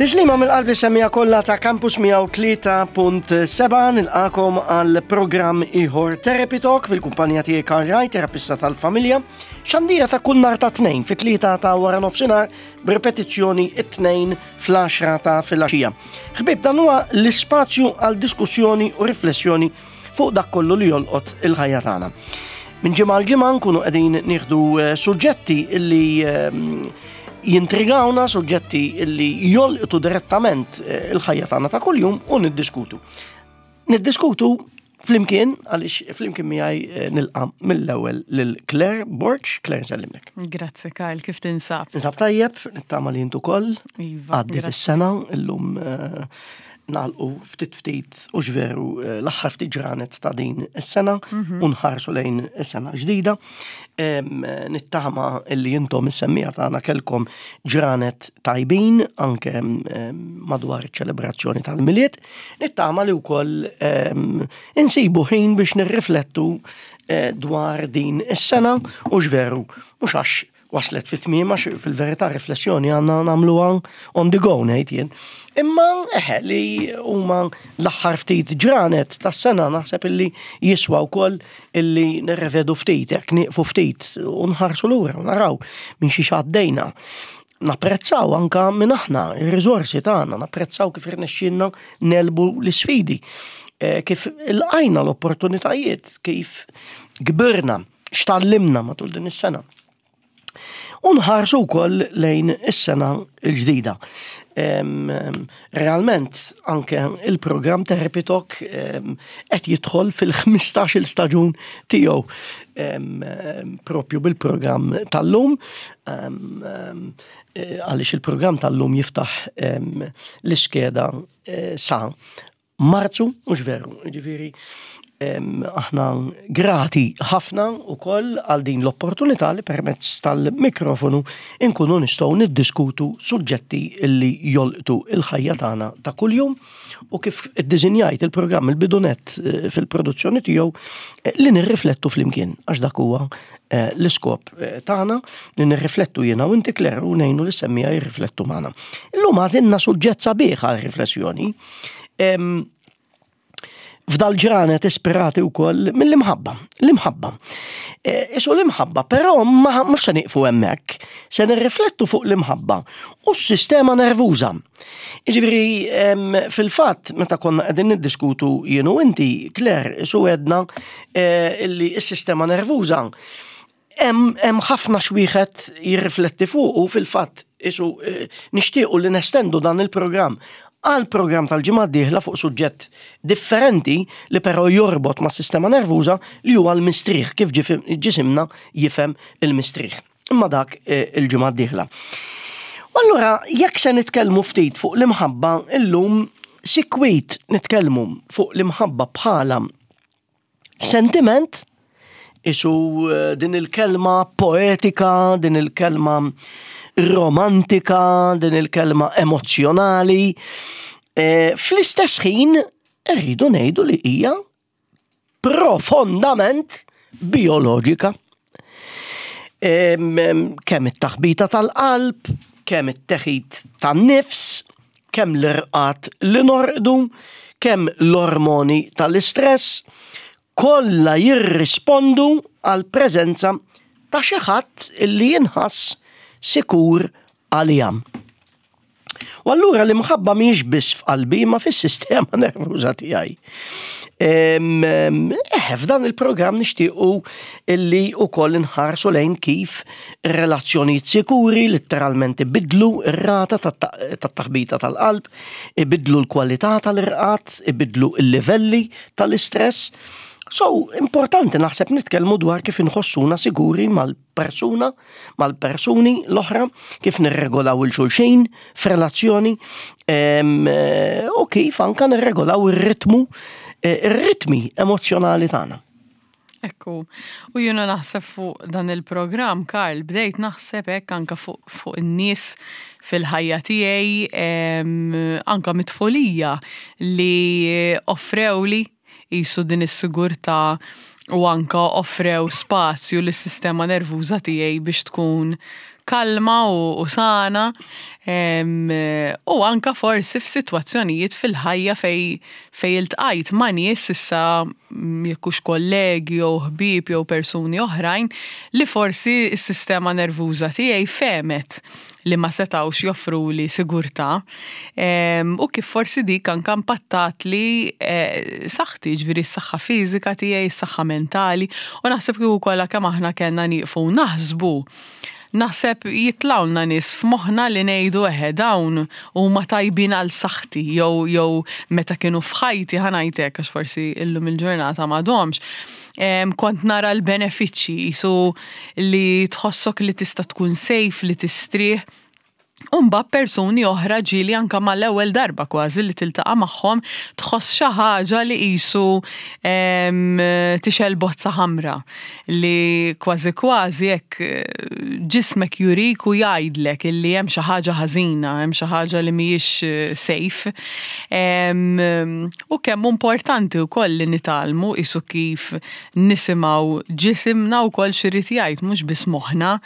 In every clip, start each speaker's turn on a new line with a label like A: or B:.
A: Tislima mill-qalbi semija kollha ta' Campus 103.7 nilqakom għal programm ieħor Therapy Talk fil-kumpanija tiegħi Karl Raj, terapista tal-familja. Xandira ta' kull nhar ta' tnejn fit-tlieta ta' wara nofsinhar b'ripetizzjoni it-tnejn fl-10 ta' filgħaxija. Ħbieb dan huwa l-ispazju għal diskussjoni u riflessjoni fuq dak kollu li jolqot il-ħajja tagħna. Minn ġimgħa għal ġimgħa nkunu qegħdin nieħdu eh, suġġetti illi ehm, jintrigawna, suġġetti illi jolqtu direttament eh, il-ħajja tagħna ta' kuljum u niddiskutu. Niddiskutu flimkien għaliex flimkien miegħi eh, nilqa' mill-ewwel lil Claire Borg. Claire nsellimlek.
B: Grazzi Karl, kif tinsab?
A: Ninsab tajjeb, nittama li intu koll.
B: Iva.
A: Għaddiet is-sena illum nagħlqu ftit ftit u veru eh, l-aħħar ftit ġranet ta' din is-sena mhm. u nħarsu lejn is-sena ġdida. Nittama illi intom is-semmija tagħna kellkom ġranet tajbin anke madwar iċ-ċelebrazzjoni tal-Milied. Nittama li wkoll insibu ħin biex nirriflettu eh, dwar din is-sena u x'veru mhux għax waslet fit tmiem għax fil-verità riflessjoni għandna nagħmluha on the go ngħid jien. Imma eħe li huma l-aħħar ftit ġranet tas-sena naħseb illi jiswa wkoll illi nirrevedu ftit, hekk nieqfu ftit u nħarsu lura u naraw minn xi għaddejna. Napprezzaw anka minn aħna, ir-riżorsi tagħna, napprezzaw kif irnexxielna nelbu l-isfidi, eh, kif ilqajna l-opportunitajiet, kif kbirna x'tallimna matul din is-sena. U nħarsu wkoll lejn is-sena l-ġdida. Realment anke il-programm Therapy Talk qed jidħol fil-15-il staġun tiegħu propju bil-programm tal-lum eh, għaliex il-programm tal-lum jiftaħ l-iskeda eh, sa Marzu, mhux veru, ġifieri aħna grati ħafna wkoll għal din l-opportunità li permezz tal-mikrofonu nkunu nistgħu niddiskutu suġġetti li jolqtu il-ħajja tagħna ta' kuljum u kif iddiżinjajt il-programm il-bidunet eh, fil-produzzjoni tiegħu eh, li nirriflettu flimkien għax dak huwa eh, l-iskop tagħna li nirriflettu jiena u inti Claire u ngħinu li semmija jirriflettu magħna. Illum għażilna suġġett sabiħ għal riflessjoni F'dal ġranet ispirati wkoll mill-imħabba. L-imħabba. E, isu l-imħabba, però ma mhux se nieqfu hemmhekk, se nirriflettu fuq l-imħabba u s-sistema nervuża. Jiġifieri fil-fatt meta konna qegħdin niddiskutu jien u inti, Claire, isu għedna e, illi s-sistema nervuża Hemm ħafna x'wieħed jirrifletti fuq u fil-fatt isu eh, nixtiequ li nestendu dan il-programm għal programm tal-ġimgħa d-dieħla fuq suġġett differenti li però jorbot ma' sistema nervuża li huwa l-mistrieħ kif ġisimna jifhem il-mistrieħ. Imma dak eh, il-ġimgħa d-dieħla. U allura jekk se nitkellmu ftit fuq l-imħabba illum sikwit nitkellmu fuq l-imħabba bħala Sentiment, isu eh, din il-kelma poetika, din il-kelma romantika, din il-kelma emozjonali. Eh, fl-istess ħin rridu ngħidu li hija profondament bioloġika. Kemm it-taħbita tal-qalb, kemm it-teħid tan-nifs, kemm l-irqad li norqdu, kemm l-ormoni tal-istress, kollha jirrispondu għall-preżenza ta' xi ħadd li jinħass sikur għaliha. U allura l-imħabba mhijiex biss f'qalbi ma fis-sistema nervuża tiegħi. Eh, f'dan il-programm nixtiequ illi wkoll inħarsu lejn kif relazzjonijiet sikuri letteralment ibidlu r-rata tat-taħbita tal-qalb, ibidlu l-kwalità tal-irqad, ibidlu l-livelli tal-istress. So, importanti naħseb nitkellmu dwar kif inħossuna siguri mal persuna mal-persuni l-oħra, kif nirregolaw il-xulxin f'relazzjoni eh, u kif anka nirregolaw ir-ritmu, eh, ir-ritmi emozjonali tagħna.
B: Ekku, u jiena naħseb fuq dan il-programm, Karl, bdejt naħseb hekk anka fuq fu in-nies fil-ħajja tiegħi, anka mit-tfulija li offrewli qisu din is-sigurtà u anka offrew spazju lis-sistema nervuża tiegħi biex tkun kalma u sana u anka forsi f'sitwazzjonijiet fil-ħajja fej fej iltqajt ma' nies issa jekk hux kollegi jew ħbieb jew persuni oħrajn li forsi s-sistema nervuża tiegħi fehmet li ma setgħux joffruli sigurtà u kif forsi dik anka impattatli eh, saħħti, ġifieri s-saħħa fiżika tiegħi, s-saħħa mentali u naħseb kieku kollha kemm aħna kellna nieqfu naħsbu Naħseb jitlgħulna nies f'moħħna li ngħidu eħe dawn huma tajbin għal saħħti jew jew meta kienu f'ħajti ħa ngħid hekk għax forsi illum il-ġurnata m'għadhomx, kont nara l-benefiċċji qisu li tħossok li tista' tkun safe, li tistrieħ. U mbagħad persuni oħra ġieli anke mal-ewwel darba kważi li tiltaqa' magħhom tħoss xi ħaġa li qisu tixgħel bozza ħamra li kważi kważi hekk ġismek jurik u jgħidlek illi hemm xi ħaġa ħażina, hemm xi ħaġa li mhijiex safe. U kemm hu importanti wkoll li nitgħallmu qisu kif nisimgħu ġisimna wkoll x'irid jgħid mhux biss moħħna.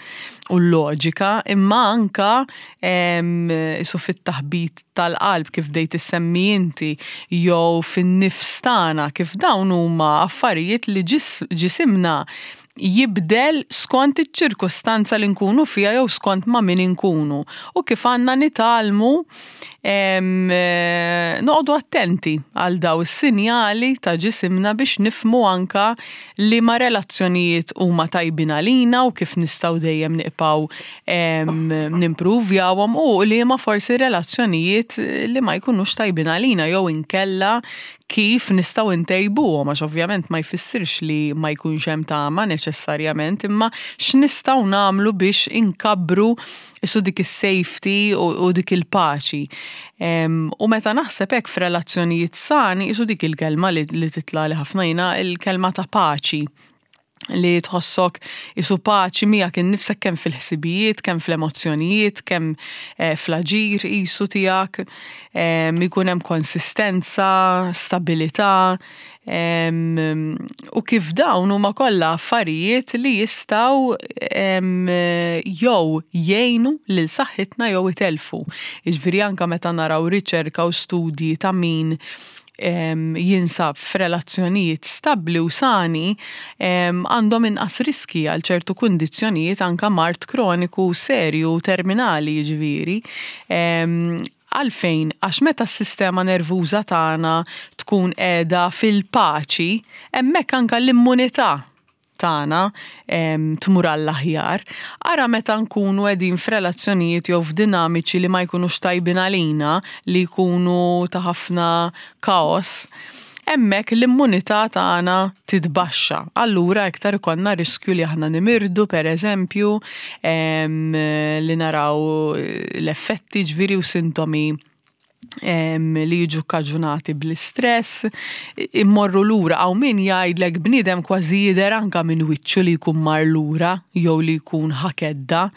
B: u l-loġika, imma anka isu fit-taħbit tal-qalb kif bdejt issemmi inti jew fin-nifs tagħna kif dawn huma affarijiet li ġisimna jibdel skont iċ-ċirkustanza li nkunu fiha jew skont ma' min inkunu u kif għandna nitgħallmu noqogħdu attenti għal daw is-sinjali ta' ġisimna biex nifhmu anka liema relazzjonijiet huma tajbin għalina u kif nistgħu dejjem niqpaw nimpruvjawhom u liema forsi relazzjonijiet li ma jkunux tajbin għalina jew inkella kif nistgħu ntejbuhom għax ovvjament ma jfissirx li ma jkunx hemm tama neċessarjament imma x'nistgħu nagħmlu biex inkabbru Isu dik is-safety u dik il-paċi. U meta naħseb hekk f'relazzjonijiet sani, isu dik il-kelma li titlagħli ħafna jiena, il-kelma ta' paċi li tħossok isu paċi miegħek innifsek kemm fil-ħsibijiet, kemm fl-emozzjonijiet, kemm eh, fl-aġir isu tiegħek, ikun hemm konsistenza, stabilità, U kif dawn huma kollha affarijiet li jistgħu jew jgħinu lil saħħitna jew itellfu. Jiġifieri anke meta naraw riċerka u studji ta' min jinsab f'relazzjonijiet stabbli u sani għandhom inqas riskji għal ċertu kundizzjonijiet anke mard kroniku serju u terminali jiġifieri. Għalfejn? Għax meta s-sistema nervuża tagħna tkun qiegħda fil-paċi, hemmhekk anke l-immunità tagħna tmur għall-aħjar. Ara meta nkunu qegħdin f'relazzjonijiet jew f'dinamiċi li ma jkunux tajbin għalina, li jkunu ta' ħafna kaos, hemmhekk l-immunità tagħna titbaxxa. Allura iktar ikollna riskju li aħna nimirdu pereżempju, li naraw l-effetti ġifieri u sintomi li jiġu kkaġunati bl-istress, immorru lura hawn min jgħidlek bniedem kważi jidher anke minn wiċċu li jkun mar lura jew li jkun ħa kedda.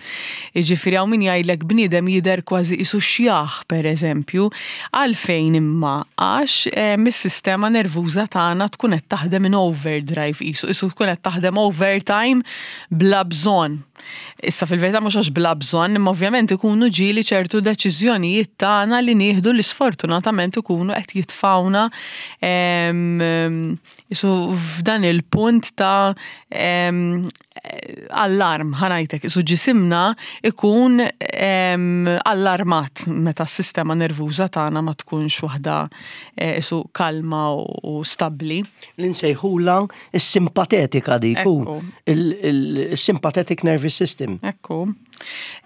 B: Jiġifieri hawn min jgħidlek bniedem jidher kważi qisu xjaħ pereżempju. Għalfejn imma? Għax is-sistema nervuża tagħna tkun qed taħdem in overdrive qisu, qisu tkun qed taħdem overtime bla bżonn. Issa fil-verità mhux għax bla bżonn, imma ovvjament ikunu ġieli ċertu deċiżjonijiet tagħna li nieħdu li sfortunatament ikunu qed jitfgħuna Isu f'dan il-punt ta' allarm, ħanajtek, isu ġisimna ikun allarmat meta s-sistema nervuża tagħna ma tkunx waħda eh, isu kalma u stabbli.
A: L-insejħula s-simpatetika dik, il-sympathetic nervous system.
B: Ekku.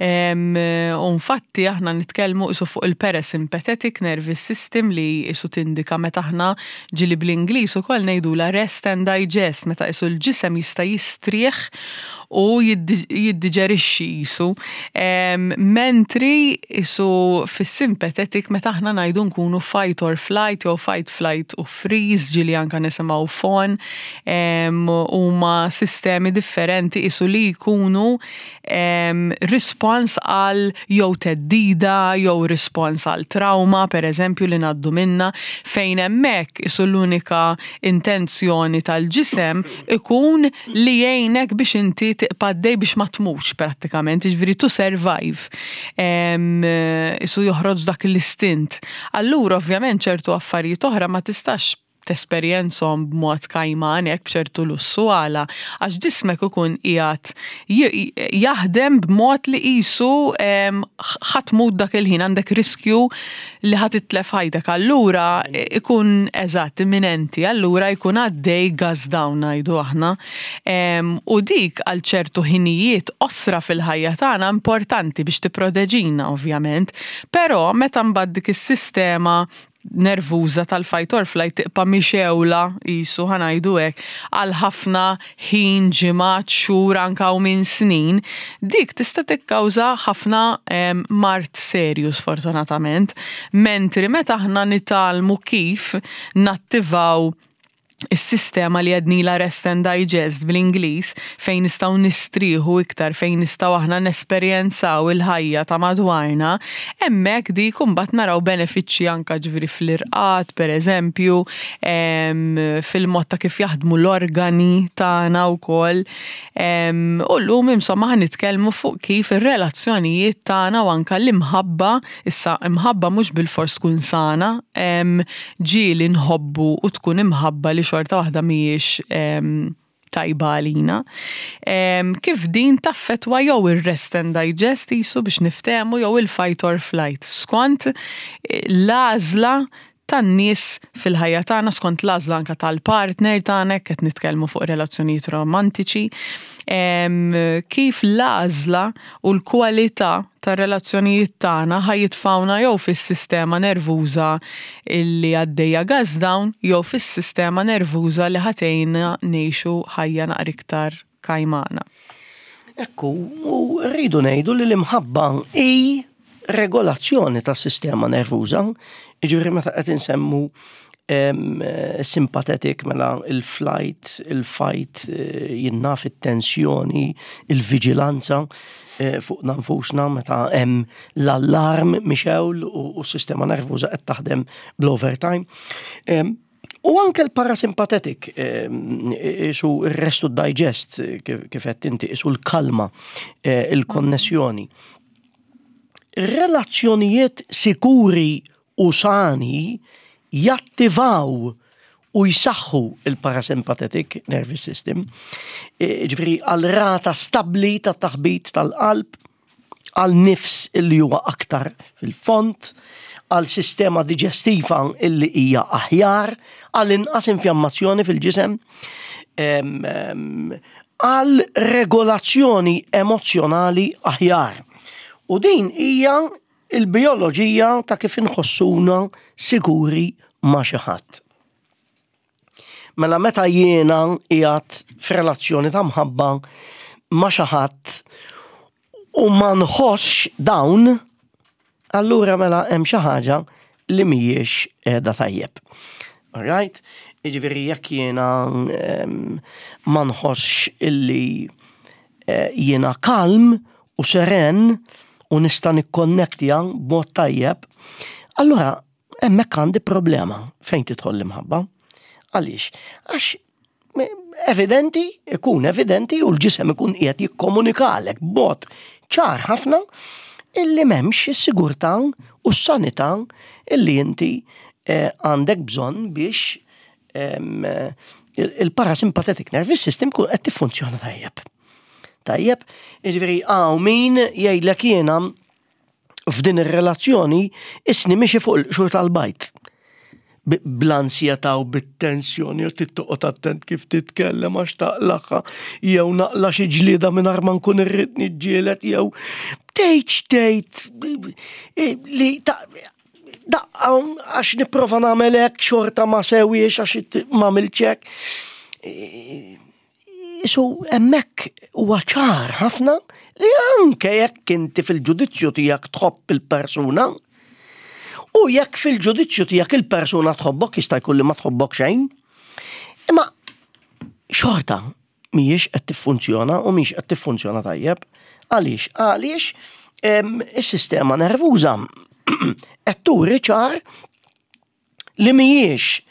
B: U infatti aħna nitkellmu isu fuq il-parasympathetic nervous system li isu tindika meta aħna ġili bl-Ingliż ukoll ngħidula rest and digest meta isu l-ġisem jista' jistrieħ u jiddiġerixxi isu. Mentri isu fis-sympathetic meta aħna ngħidu nkunu fight or flight jew fight flight u freeze ġili anka nisimgħu fawn huma sistemi differenti isu li jkunu rispons għal jew theddida jew rispons għal trauma. trawma, per eżempju, li ngħaddu minnha, fejn hemmhekk isu l-unika intenzjoni tal-ġisem ikun li jgħinek biex inti tibqa' għaddej biex ma tmutx prattikament, jiġifieri to survive. Isu joħroġ dak l-istint. Allura ovvjament ċertu affarijiet oħra ma tistax tesperjenzhom b'mod kajman hekk b'ċertu lussu għala għax ġismek ikun qiegħed jaħdem b'mod li qisu ħa tmut dak il-ħin għandek riskju li ħa titlef ħajtek allura ikun eżatt imminenti allura jkun għaddej gas down ngħidu aħna u dik għal ċertu ħinijiet qosra fil-ħajja tagħna importanti biex tipproteġina ovvjament però meta mbagħad dik is-sistema nervuża tal-fight or flight tibqa' mixewla qisu ħa ngħidu hekk għal ħafna ħin, ġimgħat, xhur anke hawn min snin, dik tista' tikkawża ħafna mard serju sfortunatament. Mentri meta aħna nitgħallmu kif nattivaw is-sistema li għednilha rest and digest bl-Ingliż, fejn nistgħu nistrieħu iktar, fejn nistgħu aħna nesperjenzaw il-ħajja ta' madwarna, hemmhekk dik imbagħad naraw benefiċċji anke ġifieri fl-irqad pereżempju, fil-mod ta' kif jaħdmu l-organi tagħna wkoll. U llum insomma ħa nitkellmu fuq kif ir-relazzjonijiet tagħna u anke l-imħabba Issa, imħabba mhux bilfors tkun sana, ġieli nħobbu u tkun imħabba li xorta waħda mhijiex tajba għalina. Kif din taffetwa jew ir-rest and digest qisu biex niftehmu jew il-fight or flight skont l-għażla tan-nies fil-ħajja tagħna skont l-għażla anke tal-partner tagħna jekk qed nitkellmu fuq relazzjonijiet romantiċi, kif l-għażla u l-kwalità tar-relazzjonijiet tagħna ħa jitfgħuna jew fis-sistema nervuża li għaddejja gas down jew fis-sistema nervuża li ħa tgħinna ngħixu ħajja naqra iktar kajmana.
A: Ekku, u rridu ngħidu li l-imħabba hi regolazzjoni tas-sistema nervuża, jiġifieri meta qed insemmu sympathetic mela il-flight, il-fight, eh, jinnaf it-tensjoni, il-viġilanza eh, fuq nfusna meta hemm l-allarm mixewl u s-sistema nervuża qed taħdem bl-overtime. U anke l-parasympathetic, isu r-rest u digest, kif qed inti, isu l-kalma, eh, il-konnessjoni. Relazzjonijiet sikuri u sani jattivaw u jsaħħu il-parasympathetic nervous system, eh, ġifieri għal rata stabbli ta' taħbit tal-qalb, għal nifs illi huwa aktar fil-fond, għal sistema diġestiva illi hija aħjar, għal inqas infjammazzjoni fil-ġisem, għal regolazzjoni emozzjonali aħjar. U din hija il-bijoloġija ta' kif inħossuna siguri ma' xi ħadd. Mela meta jiena qiegħed f'relazzjoni ta' mħabba ma' xi ħadd u ma nħossx dawn, allura mela hemm xi ħaġa li mhijiex qiegħda tajjeb. Alright? Jiġifieri jekk jiena ehm, ma nħossx illi eh, jiena kalm u seren u nista' nikkonnektja b'mod tajjeb, allura Hemmhekk għandi problema fejn tidħol l-imħabba. Għaliex? Għax evidenti, ikun evidenti u l-ġisem ikun qiegħed jikkomunikalek b'mod ċar ħafna illi m'hemmx is-sigurtà u s-sanità illi inti eh, għandek bżonn biex il-parasympathetic nervous system kun qed tiffunzjona tajjeb. Tajjeb, jiġifieri hawn min jgħidlek jiena f'din ir-relazzjoni isni mixi fuq il-qxur tal-bajt. Bl-ansjetà u bit-tensjoni u tittoqgħod attent kif titkellem għax taqlaħħa jew naqla xi ġlieda mingħajr ma nkun irrid niġġieled jew tgħidx tgħid eh, li daqqa għax nipprova nagħmel hekk xorta ma sewiex għax ma hekk. Eh, Isu hemmhekk huwa ċar ħafna li anke jekk inti fil-ġudizzju tiegħek tħobb il-persuna, u jekk fil-ġudizzju tiegħek il-persuna tħobbok jista' jkun li ma tħobbok xejn, imma xorta mhijiex qed tiffunzjona u mhix qed tiffunzjona tajjeb. Għaliex? Għaliex is-sistema nervuża qed turi ċar li mhijiex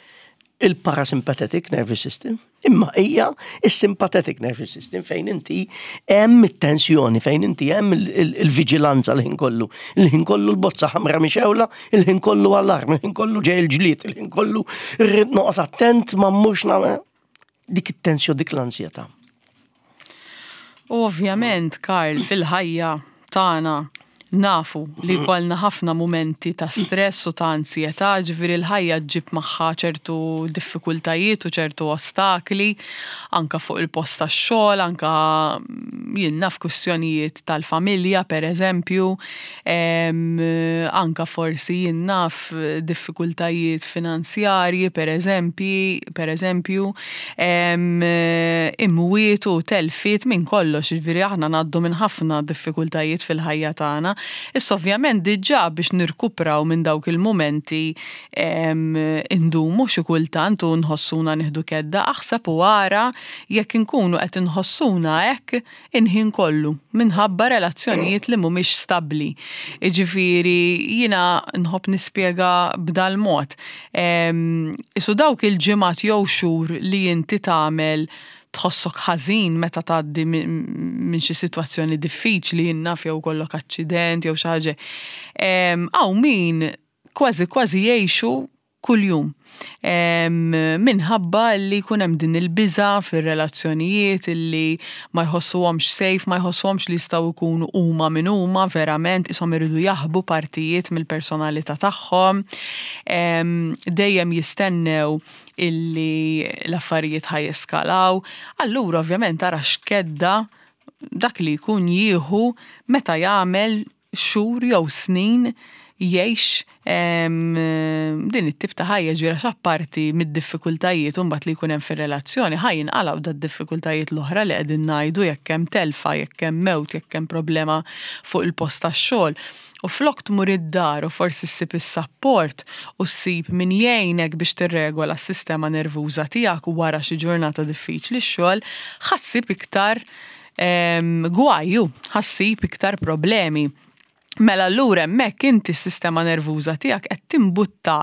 A: il-parasympathetic nervous system, imma hija is-sympathetic nervous system fejn inti hemm it-tensjoni, fejn inti hemm il-viġilanza l-ħin kollu. Il-ħin kollu l-bozza ħamra mixewla, il-ħin kollu allarm, il-ħin kollu ġej il-ġlied, il-ħin kollu rrid noqgħod attent ma mmurx nagħmel dik it-tensjoni, dik l-ansjetà.
B: U ovvjament, Karl, fil-ħajja tagħna nafu li jkollna ħafna mumenti ta' stress u ta' ansjetà, ġifieri l-ħajja ġġib magħha ċertu diffikultajiet u ċertu ostakli, anka fuq il-post tax-xogħol, anka jien naf kwistjonijiet tal-familja pereżempju, anka forsi jien naf diffikultajiet finanzjarji pereżempji, pereżempju, imwiet u telfiet minn kollox, jiġifieri aħna ngħaddu minn ħafna diffikultajiet fil-ħajja tagħna. Issa ovvjament diġà biex nirkupraw minn dawk il-mumenti indumu xi kultant u nħossuna nieħdu kedda, aħseb u ara jekk inkunu qed inħossuna hekk il-ħin kollu minħabba relazzjonijiet li mhumiex stabbli. Jiġifieri jiena nħobb nispjega b'dal-mod. Isu dawk il-ġimgħat jew xhur li inti tagħmel tħossok ħażin meta tgħaddi minn xi sitwazzjoni diffiċli, jien naf jew ikollok aċċident jew xi ħaġa. Hawn min kważi kważi jgħixu kuljum. Minħabba li jkun hemm din il-biża' fir-relazzjonijiet illi ma jħossuhomx safe, ma jħossuhomx li jistgħu jkunu huma min huma verament, qishom iridu jaħbu partijiet mill-personalità tagħhom. Dejjem jistennew illi l-affarijiet ħa jeskalaw. Allura ovvjament ara x'kedda dak li jkun jieħu meta jagħmel xhur jew snin jgħix din it-tip ta' ħajja ġifieri għax apparti mid-diffikultajiet imbagħad li jkun hemm fir-relazzjoni ħa jinqalgħu dad-diffikultajiet l-oħra li qegħdin ngħidu jekk hemm telfa, jekk hemm mewt, jekk hemm problema fuq il-post tax-xogħol. U flok tmur id-dar u forsi ssib is-sapport u ssib min jgħinek biex tirregola s-sistema nervuża tiegħek wara xi ġurnata diffiċli x-xogħol, ħa ssib iktar Gwaj, hu, ħa ssib iktar problemi. Mela allura hemmhekk inti s-sistema nervuża tiegħek qed timbutta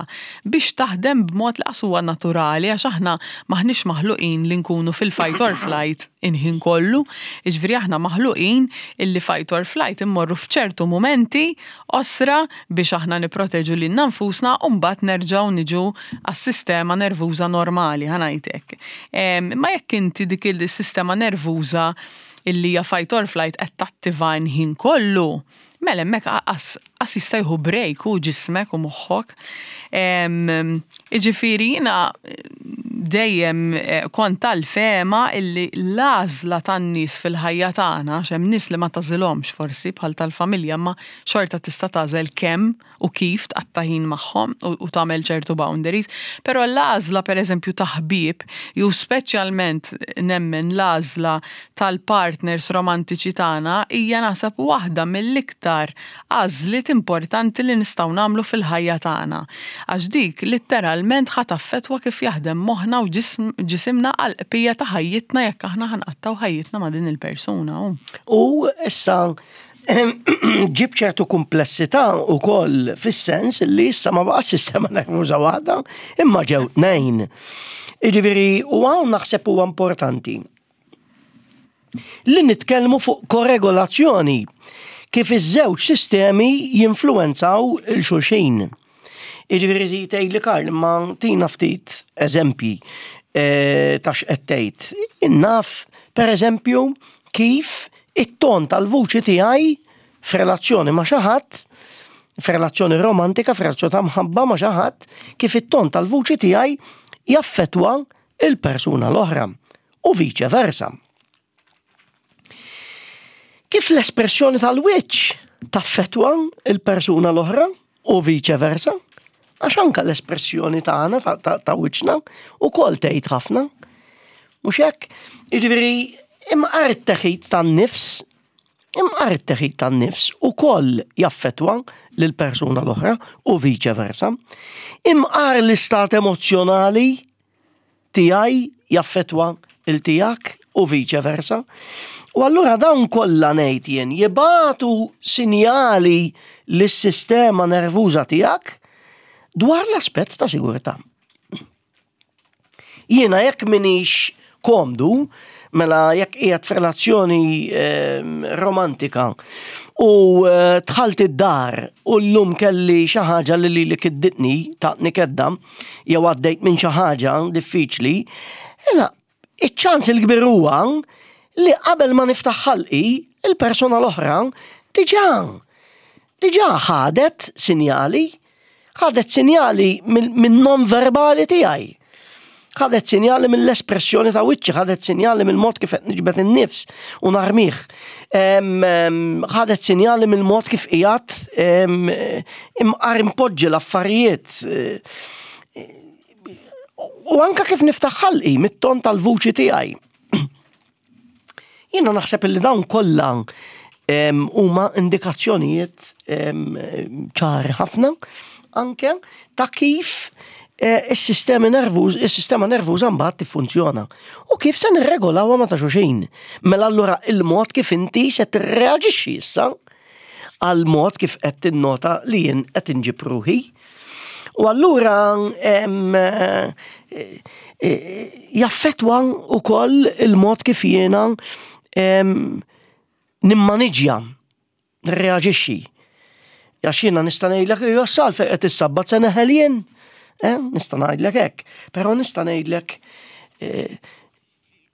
B: biex taħdem b'mod li qas huwa naturali għax aħna m'aħniex maħluqin li nkunu fil-fight or flight il-ħin kollu. Jiġifieri aħna maħluqin illi fight or flight immorru f'ċertu mumenti qosra biex aħna nipproteġu lilna nfusna u mbagħad nerġgħu niġu għas-sistema nervuża normali, ħa ngħid hekk. Imma jekk inti dik il-sistema nervuża illi hija fight or flight qed tattiva l-ħin kollu, mela hemmhekk qas qas jista' jieħu break hu ġismek u moħħok. Jiġifieri jiena dejjem kont tal-fehma illi l-għażla tan-nies fil-ħajja tagħna, għax hemm nies li ma tagħżilhomx forsi bħal tal-familja imma xorta tista' tagħżel kemm u kif tqatta' ħin magħhom u tagħmel ċertu boundaries, però l-għażla pereżempju ta' ħbieb jew speċjalment nemmen l-għażla tal-partners romantiċi tagħna hija naħseb waħda mill-iktar għażliet importanti li nistgħu nagħmlu fil-ħajja tagħna. Għax dik litteralment ħa taffettwa kif jaħdem moħħna u ġisimna għall-qbija ta' ħajjitna jekk aħna ħa nqattgħu ħajjitna ma' din il-persuna.
A: U issa ġib ċertu kumplessità wkoll fis-sens li issa ma baqgħetx sistema nervuża waħda, imma ġew tnejn. Jiġifieri u hawn naħseb huwa importanti li nitkellmu fuq koregolazzjoni kif iż-żewġ sistemi jinfluwenzaw il-xulxin. Jiġifieri tgħidli Karl imma tina ftit eżempji eh, ta' x'qed tgħid. Naf pereżempju kif it-ton tal-vuċi tiegħi f'relazzjoni ma' xi ħadd, f'relazzjoni romantika, f'relazzjoni ta' mħabba ma' xi ħadd, kif it-ton tal-vuċi tiegħi jaffettwa il-persuna l-oħra u viċe versa. Kif l-espressjoni tal-wiċċ taffettwa il-persuna l-oħra u viċe versa, għax anka l-espressjoni tagħna ta' wiċċna ukoll tgħid ħafna. Mhux hekk? Jiġifieri imqar it-teħid tan-nifs, imqar it-teħid tan-nifs ukoll jaffettwa lill-persuna l-oħra u viċe versa. Imqar l-istat emozzjonali tiegħi jaffettwa il tiegħek u viċe versa. U allura dawn kollha ngħid jien jibatu sinjali lis-sistema nervuża tiegħek dwar l-aspett ta' sigurtà. Jiena jekk minix komdu, mela jekk qiegħed f'relazzjoni ehm, romantika u eh, dħalt id-dar u llum kelli xi ħaġa li lili kidditni taqni kedda jew għaddejt minn xi ħaġa diffiċli, jiena iċ-ċans il-kbir huwa li qabel ma niftaħ ħalqi il-persuna l-oħra diġà diġà ħadet sinjali Ħadet sinjali min-non verbali tiegħi. Ħadet sinjali mill-espressjoni ta' wiċċi, ħadet sinjali mill-mod kif qed niġbed in-nifs u narmih. Ħadet sinjali mill-mod kif qiegħed imqar impoġġi l-affarijiet. U anka kif niftaħ ħalqi mit-ton tal-vuċi tiegħi. Jiena naħseb li dawn kollha huma indikazzjonijiet ċari ħafna anke ta' kif eh, is-sistemi nervuż, is-sistema nervuża mbagħad tiffunzjona. U kif se nirregolawha ma ta' xulxin. Mela allura il-mod kif inti se tirreaġixxi issa għal mod kif qed tinnota li jien qed inġib ruħi. U allura eh, eh, jaffetwa wkoll il-mod kif jiena nimmaniġja, nirreaġixxi. Għax jiena nista' ngħidlek jo sal fejn qed issabbat se neħel jien. Eh, nista' ngħidlek hekk, però nista' ngħidlek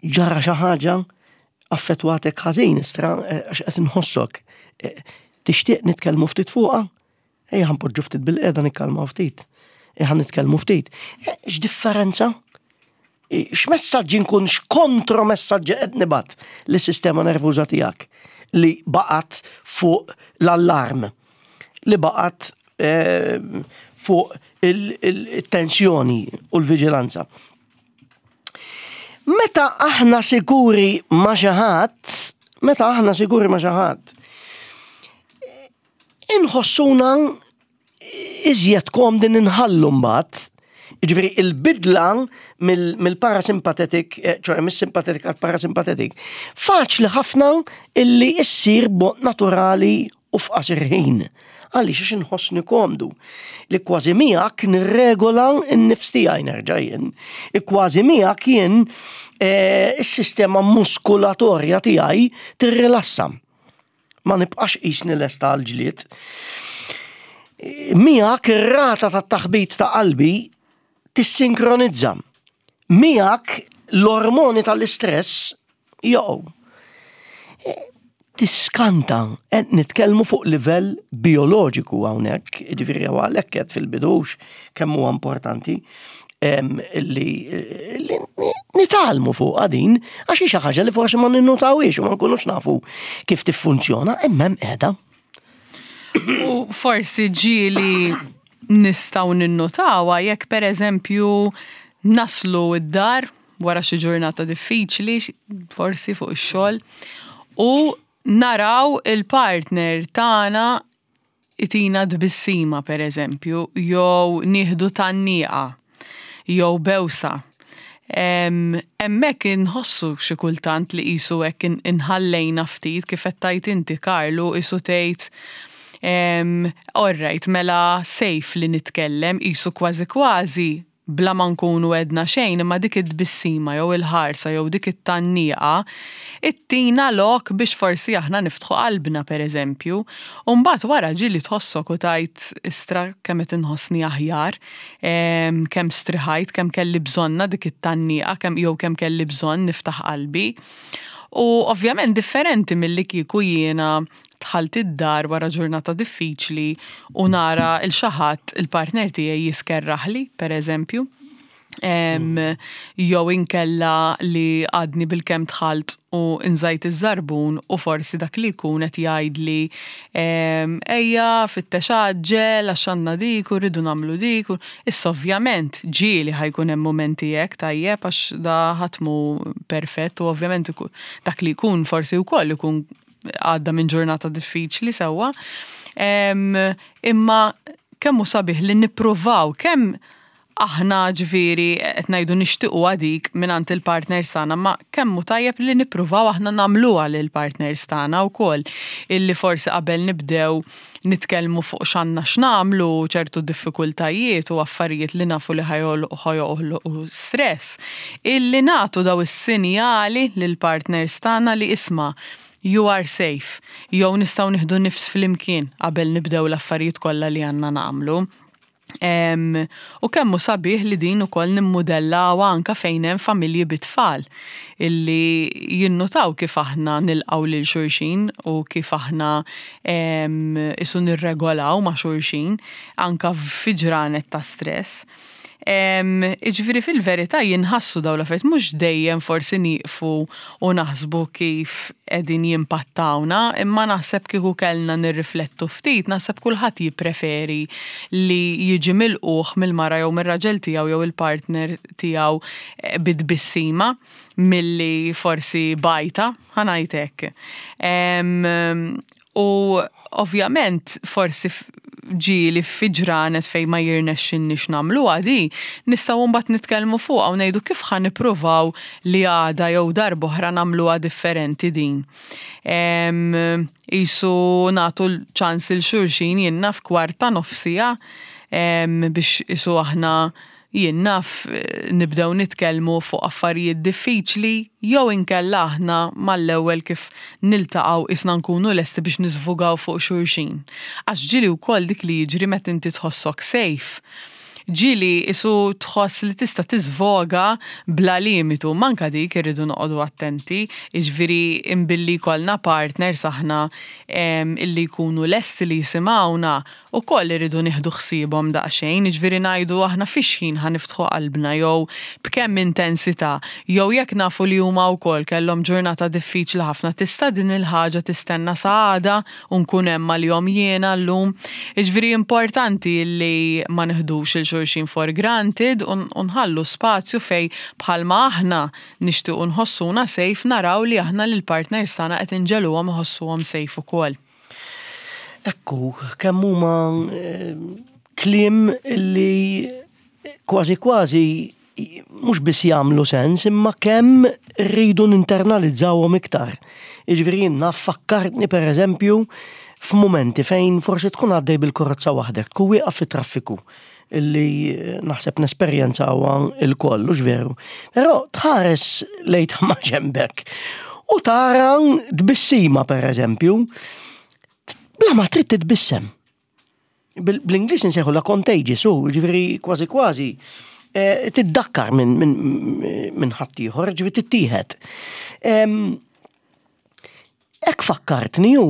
A: ġara xi ħaġa affettwatek ħażin istra għax qed inħossok. Tixtieq nitkellmu ftit fuqha? Ejja ħa npoġġu ftit bil-qiegħda nikkalmaw ftit. Ejja ħa nitkellmu ftit. Eh, x'differenza? X'messaġġi nkun x'kontromessaġġi qed nibgħat lis-sistema nervuża tiegħek li baqgħet fuq l-allarm, li baqgħet eh, fuq il-tensjoni u l-viġilanza. Meta aħna sikuri ma' xi ħadd, meta aħna sikuri ma' xi ħadd, inħossuna iżjed komdi ninħallu mbagħad. Ġifieri il-bidla mill-parasympathetic, eh, ċoħe mis-sympathetic għal parasympathetic, faċli ħafna illi issir b'mod naturali u f'qasir ħin. Għaliex għax inħossni komdu li kważi miegħek nirregola n-nifs tiegħi nerġa' jien. Kważi miegħek jien eh, is-sistema muskulatorja tiegħi tirrilassa. Ma nibqax qisni lesta għal ġlied. Miegħek ir-rata tat-taħbit ta' qalbi tissinkronizza. Miegħek l-ormoni tal-istress joqgħu. Tiskanta, qed nitkellmu fuq livell bioloġiku hawnhekk, jiġifieri għalhekk qed fil-bidux kemm huwa importanti li nitgħallmu fuqha din għax hi xi ħaġa li forsi ma ninnutawhiex u ma nkunux nafu kif tiffunzjona imma hemm qiegħda.
B: U forsi ġieli nistgħu ninnutawha jekk pereżempju naslu d-dar wara xi ġurnata diffiċli, forsi fuq ix-xogħol, u naraw il-partner tagħna itina tbissima pereżempju, jew nieħdu tgħanniqa, jew bewsa. Hemmhekk inħossu xi kultant li qisu hekk inħallejna ftit kif qed tgħid inti Karlu qisu tgħid all right mela safe li nitkellem qisu kważi kważi bla ma nkunu għedna xejn imma dik it-tbissima jew il-ħarsa jew dik it-tgħanniqa ittina lok biex forsi aħna niftħu qalbna pereżempju. U mbagħad wara ġieli tħossok u tgħid istra kemm qed inħossni aħjar, kemm striħajt, kemm kelli bżonnha dik it-tgħanniqa kemm jew kemm kelli bżonn niftaħ qalbi. U ovvjament differenti milli kieku jiena Dħalt id-dar wara ġurnata diffiċli u nara 'l xi ħadd, il-partner tiegħi jiskerraħli, pereżempju. Jew inkella li għadni bilkemm dħalt u nżajt iż-żarbun u forsi dak li jkun qed jgħidli ejja fittex għaġġel għax għandna dik u rridu nagħmlu dik. Issa ovvjament ġieli ħa jkun hemm mumenti hekk tajjeb għax da ħadd mhu perfett u ovvjament dak li jkun forsi wkoll ikun għadda minn ġurnata diffiċli sewwa. Imma kemm hu sabiħ li nippruvaw kemm Aħna ġifieri qed ngħidu nixtiequha dik mingħand il-partners tagħna, ma kemm hu tajjeb li nippruvaw aħna nagħmluha lill-partners tagħna wkoll illi forsi qabel nibdew nitkellmu fuq x'għandna x'nagħmlu, ċertu diffikultajiet u affarijiet li nafu li ħa joħloqu stress, illi nagħtu daw is-sinjali lill-partners tagħna li isma' you are safe, jew nistgħu nieħdu nifs flimkien qabel nibdew l-affarijiet kollha li għandna nagħmlu. U kemm hu sabiħ li din ukoll nimmudellawha anke fejn hemm familji bit-tfal illi jinnutaw kif aħna nilqgħu lil xulxin u kif aħna isu nirregolaw ma' xulxin anke fi ġranet ta' stress. Jiġifieri fil-verità jinħassu dawn l-affarijiet mhux dejjem forsi nieqfu u naħsbu kif qegħdin jimpattawna, imma naħseb kieku kellna nirriflettu ftit, naħseb kulħadd jippreferi li jiġi milqugħ mill-mara jew mir-raġel tiegħu jew il-partner tiegħu eh, bi tbissima milli forsi bajta, ħa ngħid hekk. U ovvjament forsi ġieli fi ġranet fejn ma jirnexxinniex nagħmluha di, nistgħu mbagħad nitkellmu fuqha u ngħidu kif ħa nippruvaw li għada jew darb'oħra nagħmluha differenti din. Qisu nagħtu ċans 'il xulxin jien naf kwarta nofs siegħa biex qisu aħna jien naf, nibdew nitkellmu fuq affarijiet diffiċli jew inkella aħna mal-ewwel kif niltaqgħu qisna nkunu lesti biex niżvugaw fuq xulxin. Għax ġieli wkoll dik li jiġri meta inti tħossok safe. Ġieli qisu tħoss li tista' tiżvoga bla limitu, imma anke dik irridu noqogħdu attenti, jiġifieri imbilli jkollna partners aħna illi jkunu lesti li jisimgħuna, Ukoll irridu nieħdu ħsiebhom daqsxejn, jiġifieri ngħidu aħna fi x'ħin ħa niftħu qalbna jew b'kemm intensità, jew jekk nafu li huma wkoll kellhom ġurnata diffiċli ħafna tista' din il-ħaġa tistenna sa għada u nkun hemm għalihom jiena llum. Jiġifieri importanti li ma nieħdux 'il xulxin for granted u nħallu spazju fejn bħalma aħna nixtiequ nħossuna safe naraw li aħna lill-partners tagħna qed inġegħluhom iħossuhom safe ukoll.
A: Ekku, kemm huma eh, kliem li kważi kważi mhux biss jagħmlu sens, imma kemm rridu ninternalizzawhom iktar. Jiġifieri jien naf fakkartni pereżempju f'mumenti fejn forsi tkun għaddej bil-karozza waħdek, tkun wieqaf fit-traffiku illi naħseb nesperjenzawha il-koll, hux veru. Però tħares lejn ta' maġenbek u tara tbissima pereżempju, bla ma trid titbissem. Bl-Ingliż insejħu la contagious, u ġifieri kważi kważi eh, tiddakkar minn min, min ħaddieħor, ġifieri tittieħed. Hekk fakkartni hu,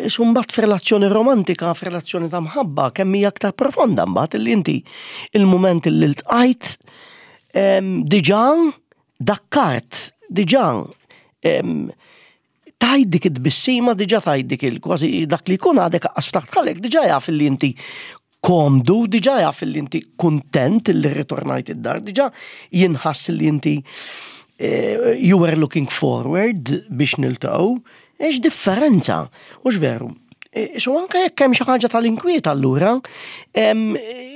A: isu mbagħad f'relazzjoni romantika, f'relazzjoni ta' mħabba, kemm hija aktar profonda mbagħad illi inti il-mument illi ltqajt diġà dakkart, diġà tajt dik it-tbissima, diġà tajt dik il-kważi dak li jkun għadek aqqas ftaħt ħalek, diġà jaf illi inti komdu, diġà jaf li inti kuntent li rritornajt id-dar, diġà jinħass li inti eh, you were looking forward biex niltaqgħu, ex differenza, hux veru. Eh, isu anke jekk hemm xi ħaġa tal-inkwiet allura,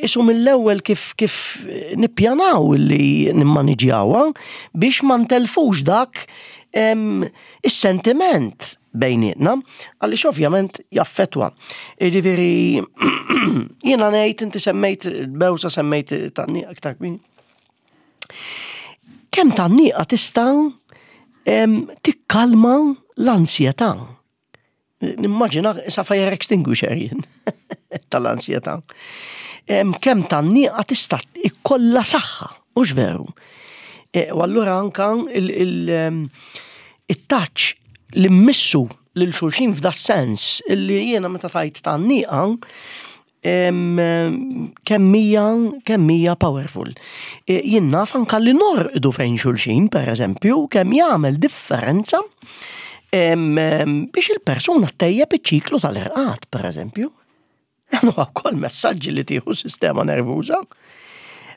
A: isu mill-ewwel kif kif nippjanaw li nimmaniġjawha biex ma ntelfux dak is-sentiment bejnietna, għaliex ovvjament jaffetwa. Jiġifieri jiena ngħid inti semmejt bewsa semmejt tanniqa iktar kmin. Kemm tanniqa tista' tikkalma l-ansjetà. Nimmaġina sa fire extinguisher jien tal-ansjetà. Kemm tanniqa tista' ikollha saħħa, mhux veru. E, u allura anka il-touch li mmissu lil xulxin f'da sens illi jiena meta tajt tgħanniqa kemm hija kemm hija powerful. E, jien naf anka li norqdu fejn xulxin, per eżempju, kemm jagħmel differenza biex il-persuna tejjeb iċ-ċiklu tal-irqad, per eżempju. Dan huwa wkoll messaġġi li tieħu sistema nervuża.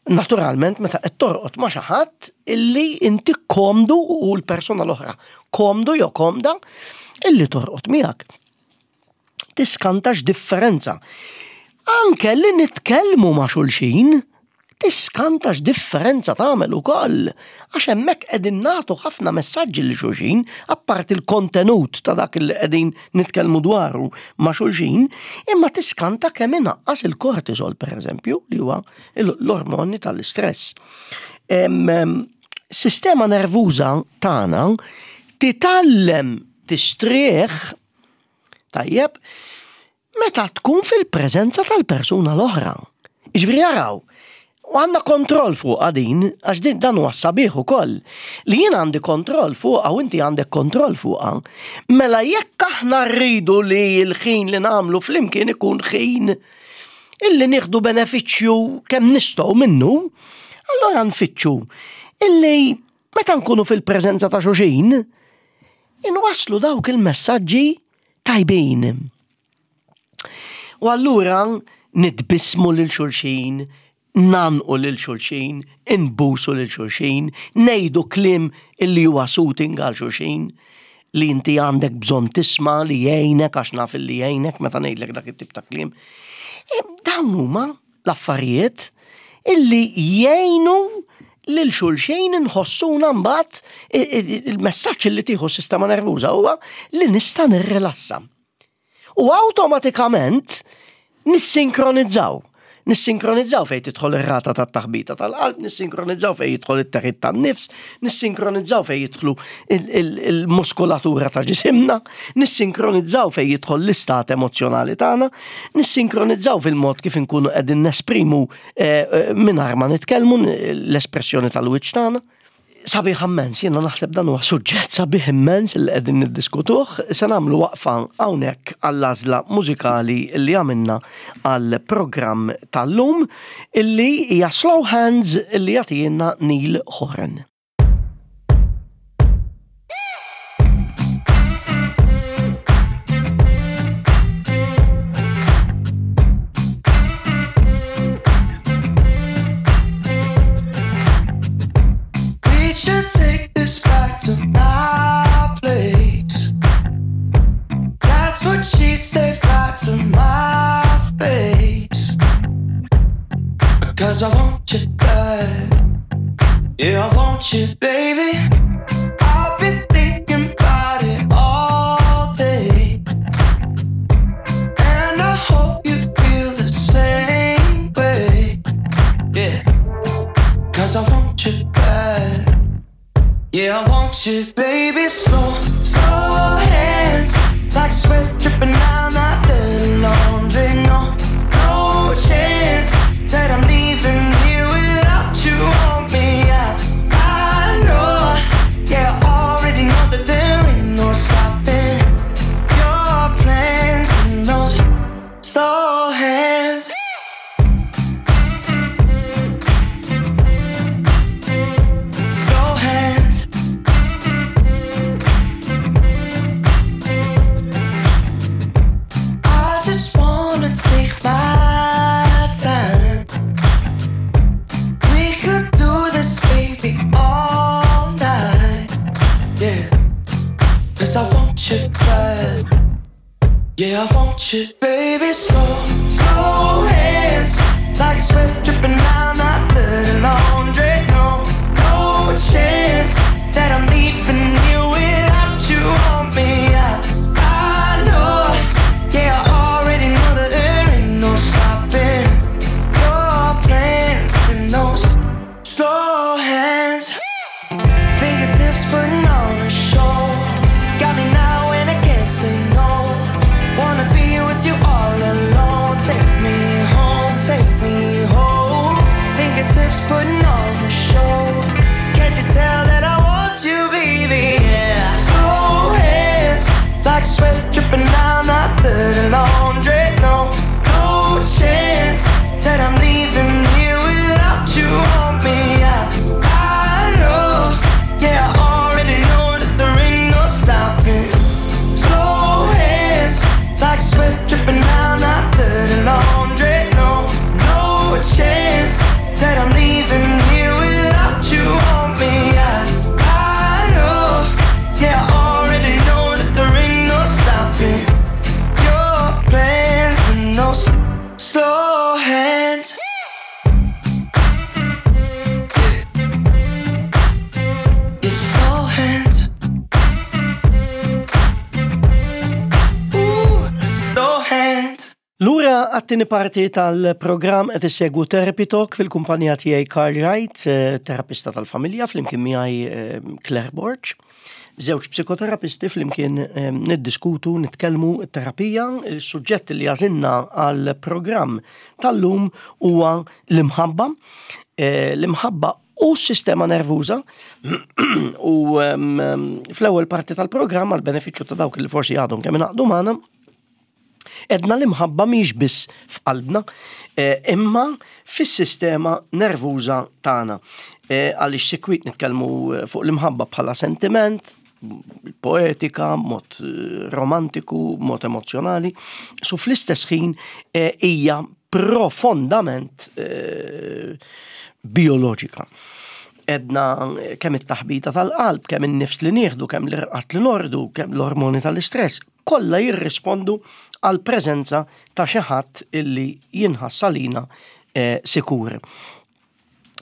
A: Naturalment meta qed torqod ma' xi ħadd illi inti komdu u l-persuna l-oħra komdu jew komda illi torqod miegħek. Tiskantax differenza. Anke li nitkellmu ma' xulxin. Tiskanta x'differenza tagħmel ukoll, għax hemmhekk qegħdin nagħtu ħafna messaġġi lil xulxin, apparti l-kontenut ta' dak li qegħdin nitkellmu dwaru ma' xulxin, imma tiskanta kemm inaqqas il-kortisol pereżempju, li huwa l-ormoni tal-istress. Sistema nervuża tagħna titgħallem tistrieħ tajjeb meta tkun fil-preżenza tal-persuna l-oħra. Jiġifieri araw, u għandna kontroll fuqha din, għax din dan huwa sabiħ ukoll, li jien għandi kontroll fuqha u inti għandek kontroll fuqha. Mela jekk aħna rridu li l-ħin li nagħmlu flimkien ikun ħin illi nieħdu benefiċċju kemm nistgħu minnu, allora nfittxu illi meta nkunu fil-preżenza ta' xulxin, inwasslu dawk il-messaġġi tajbin. U allura nitbissmu lil xulxin, ngħannqu lil xulxin, inbusu lil xulxin, ngħidu kliem illi huwa soothing għal xulxin, li inti għandek bżonn tisma' li jgħinek għax naf illi jgħinek meta ngħidlek dak it-tip ta' kliem. Dawn huma l-affarijiet illi jgħinu lil xulxin inħossuna mbagħad il-messaġġ li tieħu s-sistema nervuża huwa li nista' nirrilassa. U awtomatikament nissinkronizzaw. Nissinkronizzaw fejn tidħol ir-rata tat-taħbita tal-qalb, nissinkronizzaw fejn jidħol it-teħid tan-nifs, nissinkronizzaw fejn jidħlu il-muskulatura ta' ġisimna, nissinkronizzaw fejn jidħol l-istat emozzjonali tagħna, nissinkronizzaw fil-mod kif inkunu qegħdin nesprimu eh, eh, mingħajr ma nitkellmu l-espressjoni tal-wiċċ tagħna. Sabiħ immens, jiena naħseb dan huwa suġġett sabiħ immens li qegħdin niddiskutuh, se nagħmlu waqfa hawnhekk għall-għażla mużikali li għamilna għall-programm tal-lum illi hija Slow Hands illi jagħtijielna Neil Horan.
C: We should take this back to my place. That's what she said right to my face. Because I want you bad. Yeah, I want you, baby. I've been thinking about it all day. And I hope you feel the same way. Yeah. Cause I want you bad. Yeah, I want you, baby. Slow, slow hands. Like sweat dripping down my dirty laundry. No, no chance that I'm leaving here without you on me. I know, yeah, I already know that there ain't no stopping your plans and those slow hands. Slow hands. I just wanna take my time. We could do this, baby, all night. Yeah. Cause I want you bad. Yeah, I want you, baby. Slow, slow hands. Like sweat dripping down my dirty laundry. No, no chance that I'm leaving you without you on me. I know, yeah, I already know that there ain't no stopping your plans and those slow hands. Fingertips putting on a show. Got me now and I can't say no. Wanna be with you all alone. Take me home, take me home. Fingertips putting on a show. Can't you tell that I want you, baby? Yeah. Slow hands, like sweat dripping down my dirty laundry. No, no chance that I'm leaving here without you on me. I know, yeah, I already know.
A: Lura għat-tieni parti tal-programm qed issegwu Therapy Talk fil-kumpanija tiegħi Karl Wright, eh, terapista tal-familja, flimkien miegħi eh, Claire Borg. Żewġ psikoterapisti flimkien eh, niddiskutu, nitkellmu terapija, il-suġġett li għażilna għall-programm tal-lum huwa l-imħabba. L-imħabba u s-sistema nervuża u fl-ewwel parti tal-programm għal benefiċċju ta' dawk li forsi għadhom kemm ingħaqdu magħna Edna l-imħabba mhix biss f'qalbna, eh, imma fis-sistema nervuża tagħna. Eh, għaliex sikwit nitkellmu eh, fuq l-imħabba bħala sentiment, poetika, mod romantiku, mod emozjonali, su fl-istess ħin hija profondament bioloġika. Edna kemm it-taħbita tal-qalb, kemm in-nifs li nieħdu, kemm l-irqat li nordu, kemm l-ormoni tal-istress, kollha jirrispondu għall-preżenza ta' xi ħadd illi jinħass għalina eh, sikur.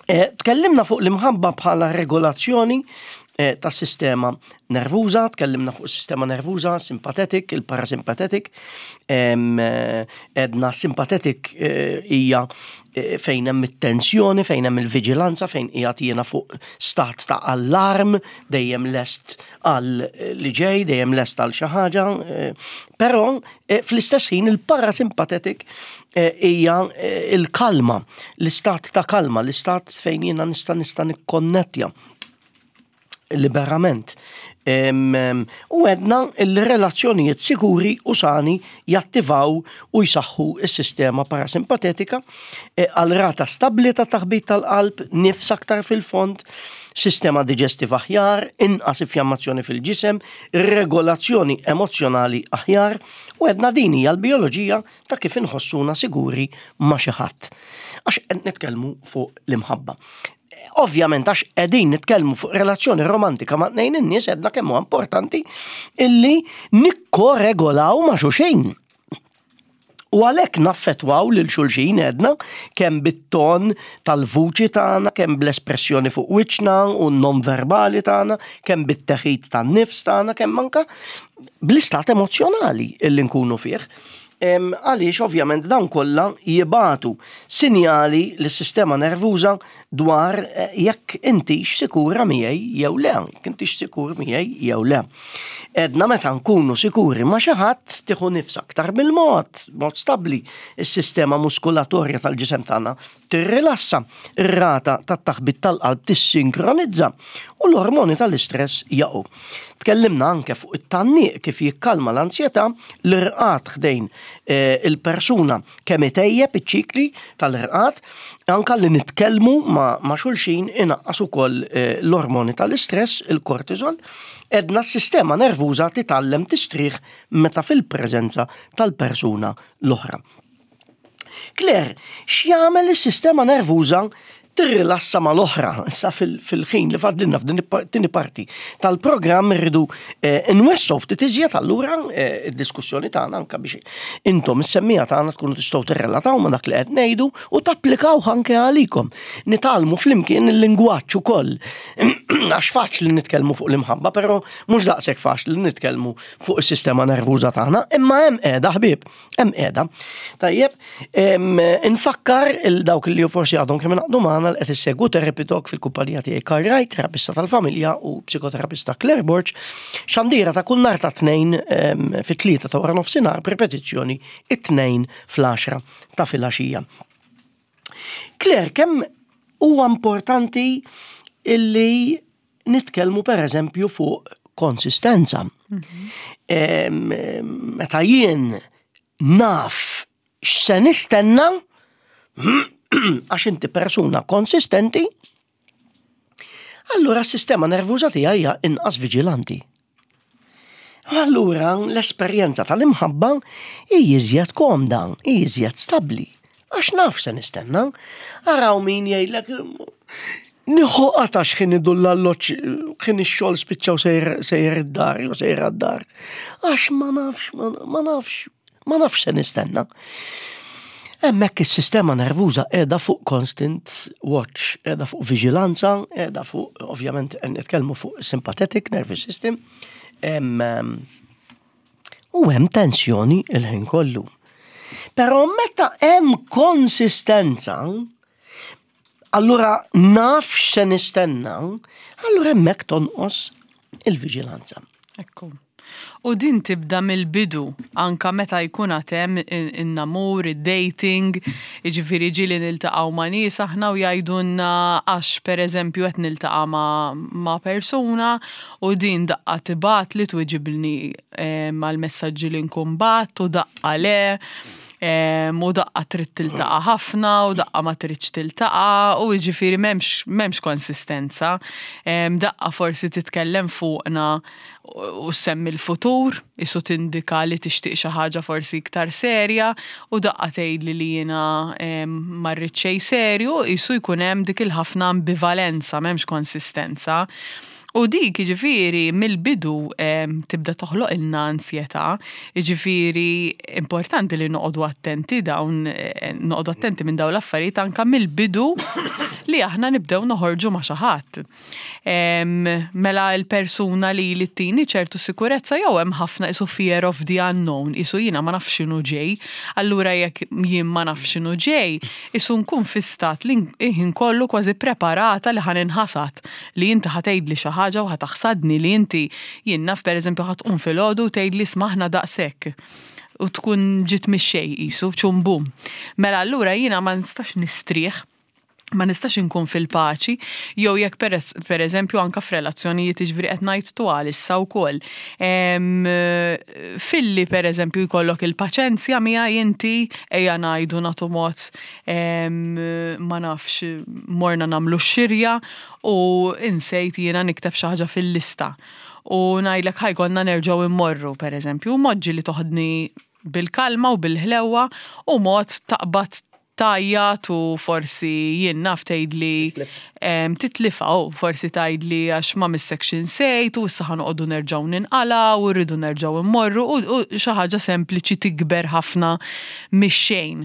A: Eh, tkellimna fuq l-imħabba bħala regolazzjoni eh, tas sistema nervuża, tkellimna fuq sistema nervuża, simpatetik, il-parasimpatetik, edna simpatetik hija fejn hemm it-tensjoni, fejn hemm il-viġilanza, fejn qiegħed jiena fuq stat ta' allarm, dejjem lest għal li ġej, dejjem lest għal xi ħaġa, eh, però eh, fl-istess ħin il-parasympathetic eh, hija il-kalma, l-istat ta' kalma, l-istat fejn jiena nista' nista' nikkonnettja liberament. U għedna il-relazzjonijiet sikuri u sani jattivaw u jsaħħu s-sistema parasimpatetika eh, għal rata stabbli ta' taħbit tal-qalb, nifs aktar fil-fond, sistema diġestiva aħjar, inqas infjammazzjoni fil-ġisem, regolazzjoni emozzjonali aħjar, u għedna din hija l-bioloġija ta' kif inħossuna siguri ma' xi ħadd. Għax qed nitkellmu fuq l-imħabba. Ovvjament għax qegħdin nitkellmu fuq relazzjoni romantika ma' tnejn in-nies għedna kemm huwa importanti illi nikkoregolaw ma' xulxin. U għalhekk naffettwaw lil xulxin għedna kemm bit-ton tal-vuċi tagħna, kemm bl-espressjoni fuq wiċċna u non-verbali tagħna, kemm bit-teħid tan-nifs tagħna, kemm anka bl-istat emozzjonali illi nkunu fih. Għaliex ovvjament dawn kollha jibatu sinjali lis-sistema nervuża dwar eh, jekk intix sikura miegħi jew le, jekk intix sikur miegħi jew le. Edna meta nkunu sikuri ma' xi ħadd tieħu nifs aktar bil-mod, mod stabbli, is-sistema muskulatorja tal-ġisem tagħna tirrilassa, ir-rata tat-taħbit tal-qalb tissinkronizza u l-ormoni tal-istress jaqgħu. Tkellimna anke fuq it-tgħanniq kif jikkalma l-anzjetà, l-irqad ħdejn eh, il-persuna kemm itejjeb iċ-ċikli tal-irqad, anke li nitkellmu ma' xulxin inaqqas ukoll eh, l-ormoni tal-istress, il-kortisol, edna s-sistema nervuża titgħallem tistrieħ meta fil-preżenza tal-persuna l-oħra. Claire, x'jagħmel is-sistema nervuża tirrilassa mal-oħra. Issa fil-ħin li fadlilna f'din it-tieni parti tal-programm irridu eh, nwessu ftit iżjed allura eh, id-diskussjoni tagħna anke biex intom is-semmija tagħna tkunu tistgħu tirrelataw ma' dak li qed ngħidu u tapplikaw anke għalikom. Nitgħallmu flimkien il-lingwaġġ ukoll. Għax faċli nitkellmu fuq l-imħabba, però mhux daqshekk faċli nitkellmu fuq is-sistema nervuża tagħna, imma hemm qiegħda ħbieb. Hemm qiegħda. Tajjeb, infakkar il dawk li forsi għadhom kemm ingħaqdu magħna li qed issegwu Therapy Talk fil-kumpanija tiegħi Karl Wright, terapista tal-familja u psikoterapista Claire Borg, xandira ta' kull nhar ta' tnejn fit-tlieta ta' wara nofsinhar b'ripetizzjoni it-tnejn fl-għaxra ta' filgħaxija. Claire, kemm huwa importanti illi nitkellmu per eżempju fuq konsistenza. Mhm. Meta jien naf x'se nistenna għax inti persuna konsistenti, allura s-sistema nervuża tiegħi hija inqas viġilanti. Allura l-esperjenza tal-imħabba hi iżjed komda, hi iżjed stabbli. Għax naf se nistenna. Araw min jgħidlek nieħu qata' x'ħin idur l-alloġġ ħin ix-xogħol spiċċaw sejjer id-dar jew sejjer għad-dar. Għax ma nafx, ma nafx, ma nafx se nistenna. Hemmhekk is-sistema nervuża qiegħda fuq constant watch, qiegħda fuq viġilanza, qiegħda fuq ovvjament qed nitkellmu fuq sympathetic nervous system. U hemm tensjoni il-ħin kollu. Però meta hemm konsistenza, allura naf x'se nistenna, allura hemmhekk tonqos il-viġilanza.
B: Ekku. U din tibda mill-bidu, anka meta jkun għad hemm in-namur, id-dating, jiġifieri ġieli niltaqgħu ma' nies aħna u jgħidulna għax pereżempju qed niltaqa' ma' persuna u din daqqa tibgħatli twiġibni mal-messaġġi li nkun bgħatt u daqqa le u daqqa trid tiltaqa' ħafna u daqqa ma tridx tiltaqa' u jiġifieri m'hemmx m'hemmx konsistenza. Daqqa forsi titkellem fuqna u ssemmi l-futur, isu tindika li tixtieq xi ħaġa forsi iktar serja u daqqa tgħidli li jiena ma rrid xejn serju, isu jkun hemm dik il-ħafna ambivalenza, m'hemmx konsistenza. U dik jiġifieri mill-bidu tibda toħloqilna ansjetà, jiġifieri importanti li noqogħdu attenti dawn noqogħdu attenti minn dawn l-affarijiet anke mill-bidu li aħna nibdew noħorġu ma' xi ħadd. Mela l-persuna li li ttini ċertu sikurezza jew hemm ħafna isu fear of the unknown, isu jiena ma nafx x'inhu ġej, allura jekk jien ma nafx x'inhu ġej, isu nkun fi stat li ħin kollu kważi preparata li ħa ninħasad, li inti ħa tgħidli xi ħaġa u ħa taħsadni, li inti jien naf pereżempju ħa tqum filgħodu u tgħidli isma' aħna daqshekk u tkun ġiet mix-xejn qisu, ċum bum. Mela allura jiena ma nistax nistrieħ ma nistax inkun fil-paċi, jew jekk per eżempju anka f'relazzjonijiet jiġifieri qed ngħid twal issa wkoll. Filli per eżempju jkollok il-paċenzja miegħi inti ejja ngħidu nagħtu mod ma nafx morna nagħmlu x-xirja u insejt jiena nikteb xi ħaġa fil-lista. U ngħidlek ħa jkollna nerġgħu immorru per eżempju, mod ġieli toħodni bil-kalma u bil-ħlewwa u mod taqbad tgħajjat u forsi jien naf tgħidli titlifha u forsi tgħidli għax ma missekx insejt u issa ħa noqogħdu nerġgħu ninqalgħu u rridu nerġgħu mmorru u xi ħaġa sempliċi tikber ħafna mix-xejn.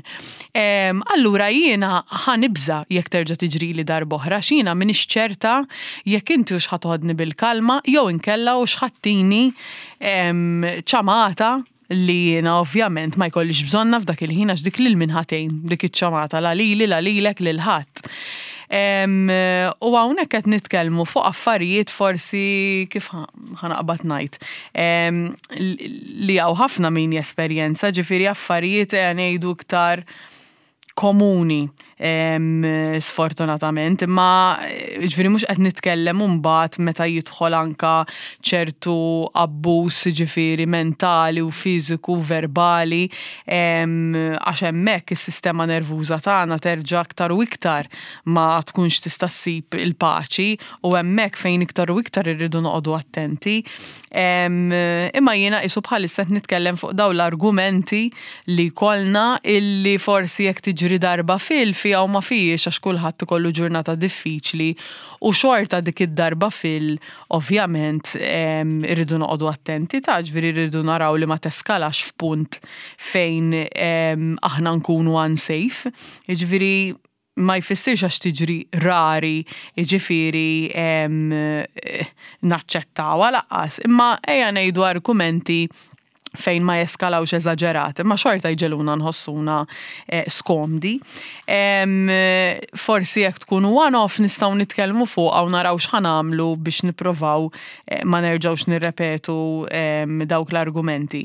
B: Allura jiena ħa nibża' jekk terġa' tiġrili darb'oħra għax jiena m'iniex ċerta jekk inti hux ħa toħodni bil-kalma jew inkella hux ħa ttini ċamata li jiena ovvjament ma jkollix bżonnha f'dak il-ħin għax dik lil min ħa tgħin dik iċ-ċamata la lili la lilek lil ħadd. U hawnhekk qed nitkellmu fuq affarijiet forsi kif ħa naqbad ngħid li hawn ħafna min jesperjenza, ġifieri affarijiet ejja ngħidu iktar komuni sfortunatament, imma ġifieri mhux qed nitkellem imbagħad meta jidħol anka ċertu abbuż ġifieri mentali u fiżiku u verbali għax hemmhekk is-sistema nervuża tagħna terġa' aktar u iktar ma tkunx tista' ssib il-paċi u hemmhekk fejn iktar u iktar irridu noqogħdu attenti. Imma jiena qisu bħalissa qed nitkellem fuq dawn l-argumenti li jkollna illi forsi jekk tiġri darba fil fiha u ma fihiex għax kulħadd ikollu ġurnata diffiċli u xorta dik id-darba fil ovvjament irridu noqogħdu attenti ta' ġifieri rridu naraw li ma teskalax f'punt fejn aħna nkunu unsafe. Jiġifieri ma jfissirx għax tiġri rari, jiġifieri naċċettawha lanqas, imma ejja ngħidu argumenti fejn ma jeskalawx eżaġerat, imma xorta jġegħluna nħossuna skomdi. Forsi jekk tkun one-off nistgħu nitkellmu fuqha u naraw x'ħa nagħmlu biex nipprovaw ma nerġgħux nirrepetu dawk l-argumenti.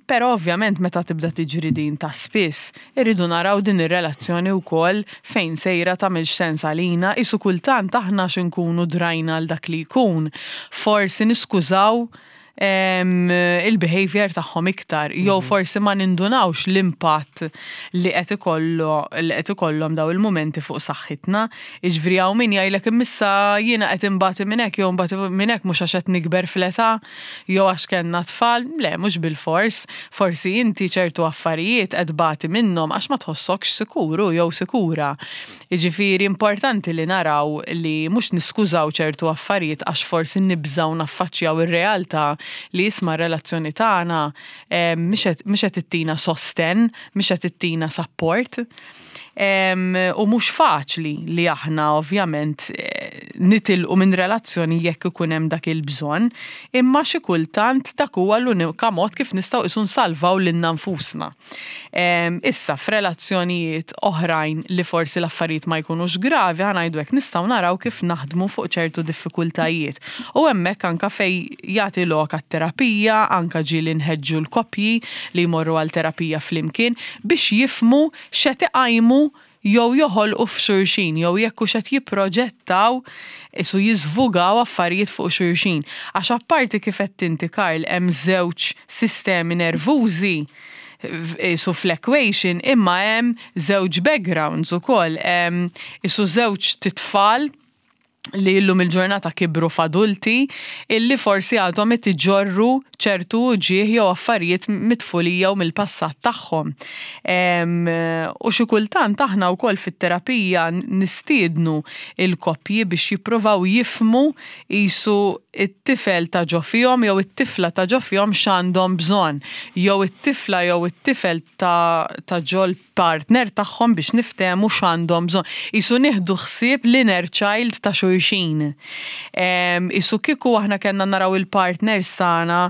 B: Però ovvjament meta tibda tiġri din ta' spiss, Irridu naraw din ir-relazzjoni wkoll fejn sejra tagħmilx sens għalina, qisu kultant aħna għax inkunu drajna għal dak li jkun, forsi niskużaw il-behaviour tagħhom iktar, jew forsi ma nindunawx l-impatt li qed ikollu li qed ikollhom dawn il-mumenti fuq saħħitna. Jiġifieri hawn min jgħidlek imma issa jiena qed inbati minn hekk jew nbati minn hekk mhux għax qed nikber fl-età. Jew għax kellna tfal? Le, mhux bilfors. Forsi inti ċertu affarijiet qed tbati minnhom għax ma tħossokx sikur u jew sikura. Jiġifieri importanti li naraw li mhux niskużaw ċertu affarijiet għax forsi nibżgħu naffaċċjaw ir-realtà li isma' r-relazzjoni tagħna mhix qed ittina sostenn, mhix qed ittina sapport. U mhux faċli li aħna ovvjament nitilqu minn relazzjoni jekk ikun hemm dak il-bżonn, imma xi kultant dak huwa l-unika mod kif nistgħu qisu nsalvaw lilna nfusna. Issa f'relazzjonijiet oħrajn li forsi l-affarijiet ma jkunux gravi, ħa ngħidu hekk, nistgħu naraw kif naħdmu fuq ċertu diffikultajiet. U hemmhekk anke fejn jagħti lok għat-terapija, anke ġieli nħeġġu l-koppji li jmorru għal terapija flimkien biex jifhmu x'qed iqajmu jew joħolqu f'xulxin jew jekk hux qed jipproġettaw qisu jiżvugaw affarijiet fuq xulxin. Għax apparti kif għedt inti Karl hemm żewġ sistemi nervużi qisu fl-equation imma hemm żewġ backgrounds ukoll, hemm qisu żewġ titfal li illum il-ġurnata kibru f'adulti illi forsi għadhom qed iġorru ċertu uġigħ jew affarijiet mit-tfulija u mill-passat tagħhom. U xi kultant aħna wkoll fit-terapija nistiednu il-koppji biex jippruvaw jifhmu qisu t-tifel ta' ġo fihom jew it-tifla ta' ġo fihom x'għandhom bżonn, jew it-tifla jew it-tifel ta' ta' ġol partner tagħhom biex niftehmu x'għandhom bżonn. Qisu nieħdu ħsieb l-inner child ta' xulxin. Qisu kieku aħna kellna naraw il-partners tagħna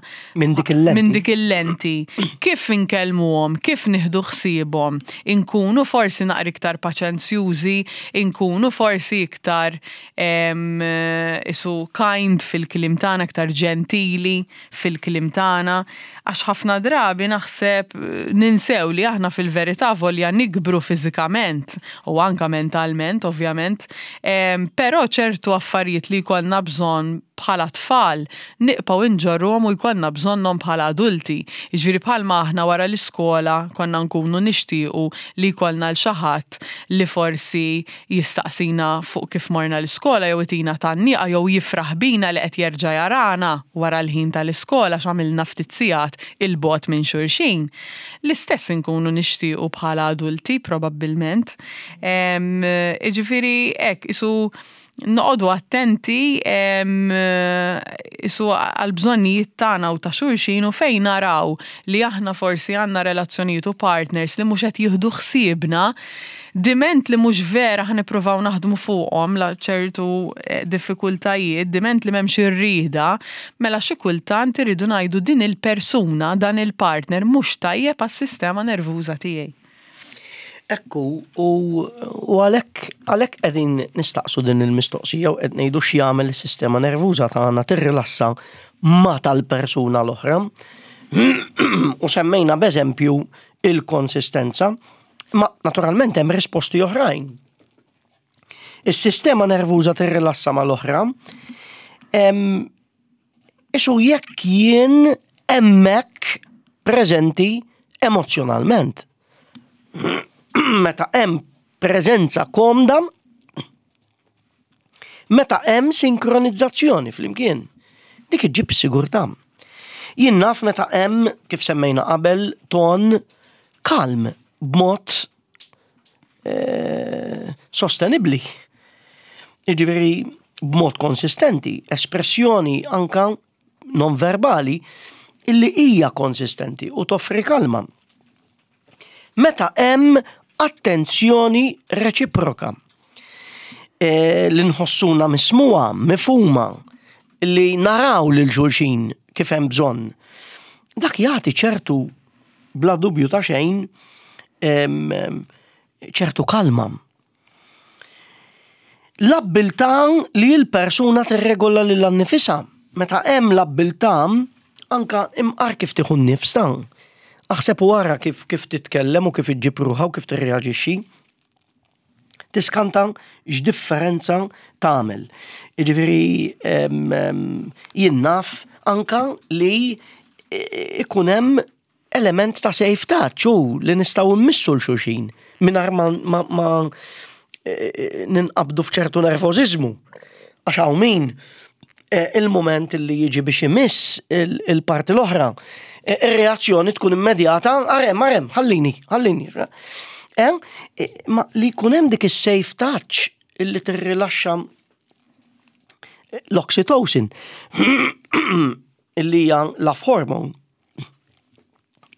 A: minn dik il-lenti.
B: Minn dik il-lenti. Kif inkellmuhom, kif nieħdu ħsiebhom, inkunu forsi naqra iktar paċenzjużi, inkunu forsi iktar qisu kind fil-kliem tagħna, iktar ġentili fil-kliem tagħna. Għax ħafna drabi naħseb ninsew li aħna fil-verità volja nikbru fiżikament u anka mentalment ovvjament, però ċertu affarijiet li jkollna bżonn bħala tfal nibqgħu nġorruhom u jkollna bżonnhom bħala adulti. Jiġifieri bħalma aħna wara l-iskola konna nkunu nixtiequ li jkollna 'l xi ħadd li forsi jistaqsina fuq kif morna l-iskola jew itina tgħanniqa jew jifraħ bina li qed jerġa' jarana wara l-ħin tal-iskola għax għamilna ftit sigħat 'il bogħod minn xulxin. L-istess inkunu nixtiequ bħala adulti probabbilment. Jiġifieri hekk qisu noqogħdu attenti qisu għall-bżonnijiet tagħna u ta' xulxin u fejn naraw li aħna forsi għandna relazzjonijiet u partners li mhux qed jieħdu ħsiebna, diment li mhux vera ħa nippruvaw naħdmu fuqhom la ċertu eh, diffikultajiet, diment li m'hemmx ir-rieda, mela xi kultant irridu ngħidu din il-persuna, dan il-partner mhux tajjeb għas-sistema nervuża tiegħi.
A: Ekku, u għalhekk għalhekk qegħdin nistaqsu din il-mistoqsija u qed ngħidu x'jagħmel is-sistema nervuża tagħna tirrilassa ma tal-persuna l-oħra. U semmejna b'eżempju il-konsistenza, ma naturalment hemm risposti oħrajn. Is-sistema nervuża tirrilassa mal-oħra. Isu jekk jien hemmhekk preżenti emozzjonalment. Meta hemm preżenza komda, meta hemm sinkronizzazzjoni flimkien. Dik iġġib sigurtà. Jien naf meta hemm, kif semmejna qabel, ton kalm b'mod eh, sostenibbli. Jiġifieri b'mod konsistenti, espressjoni anka non verbali illi hija konsistenti u toffri kalma. Meta hemm attenzjoni reċiproka e, li nħossuna mismuha, mifhuma, li naraw lil xulxin kif hemm bżonn. Dak jagħti ċertu bla dubju ta' xejn ċertu kalma. L-abbiltà li l-persuna tirregola lilha nnifisha. Meta hemm l-abbiltà anka imqar kif tieħu n-nifs ta' aħseb u ara kif kif titkellem u kif iġġib ruħha u kif tirreaġixxi. Tiskanta x'differenza tagħmel. Jiġifieri jien naf anka li ikun hemm element ta' safe touch u li nistgħu mmissu l xulxin mingħajr ma, ma, ma e, e, ninqabdu f'ċertu nervożiżmu. Għax hawn min e, il-moment li jiġi biex imiss il-parti l-oħra, ir-reazzjoni tkun immedjata, arem, arem, ħallini, ħallini. Ma li jkun hemm dik is-safe touch illi tirrilaxxa l-oxytocin illi hija love hormone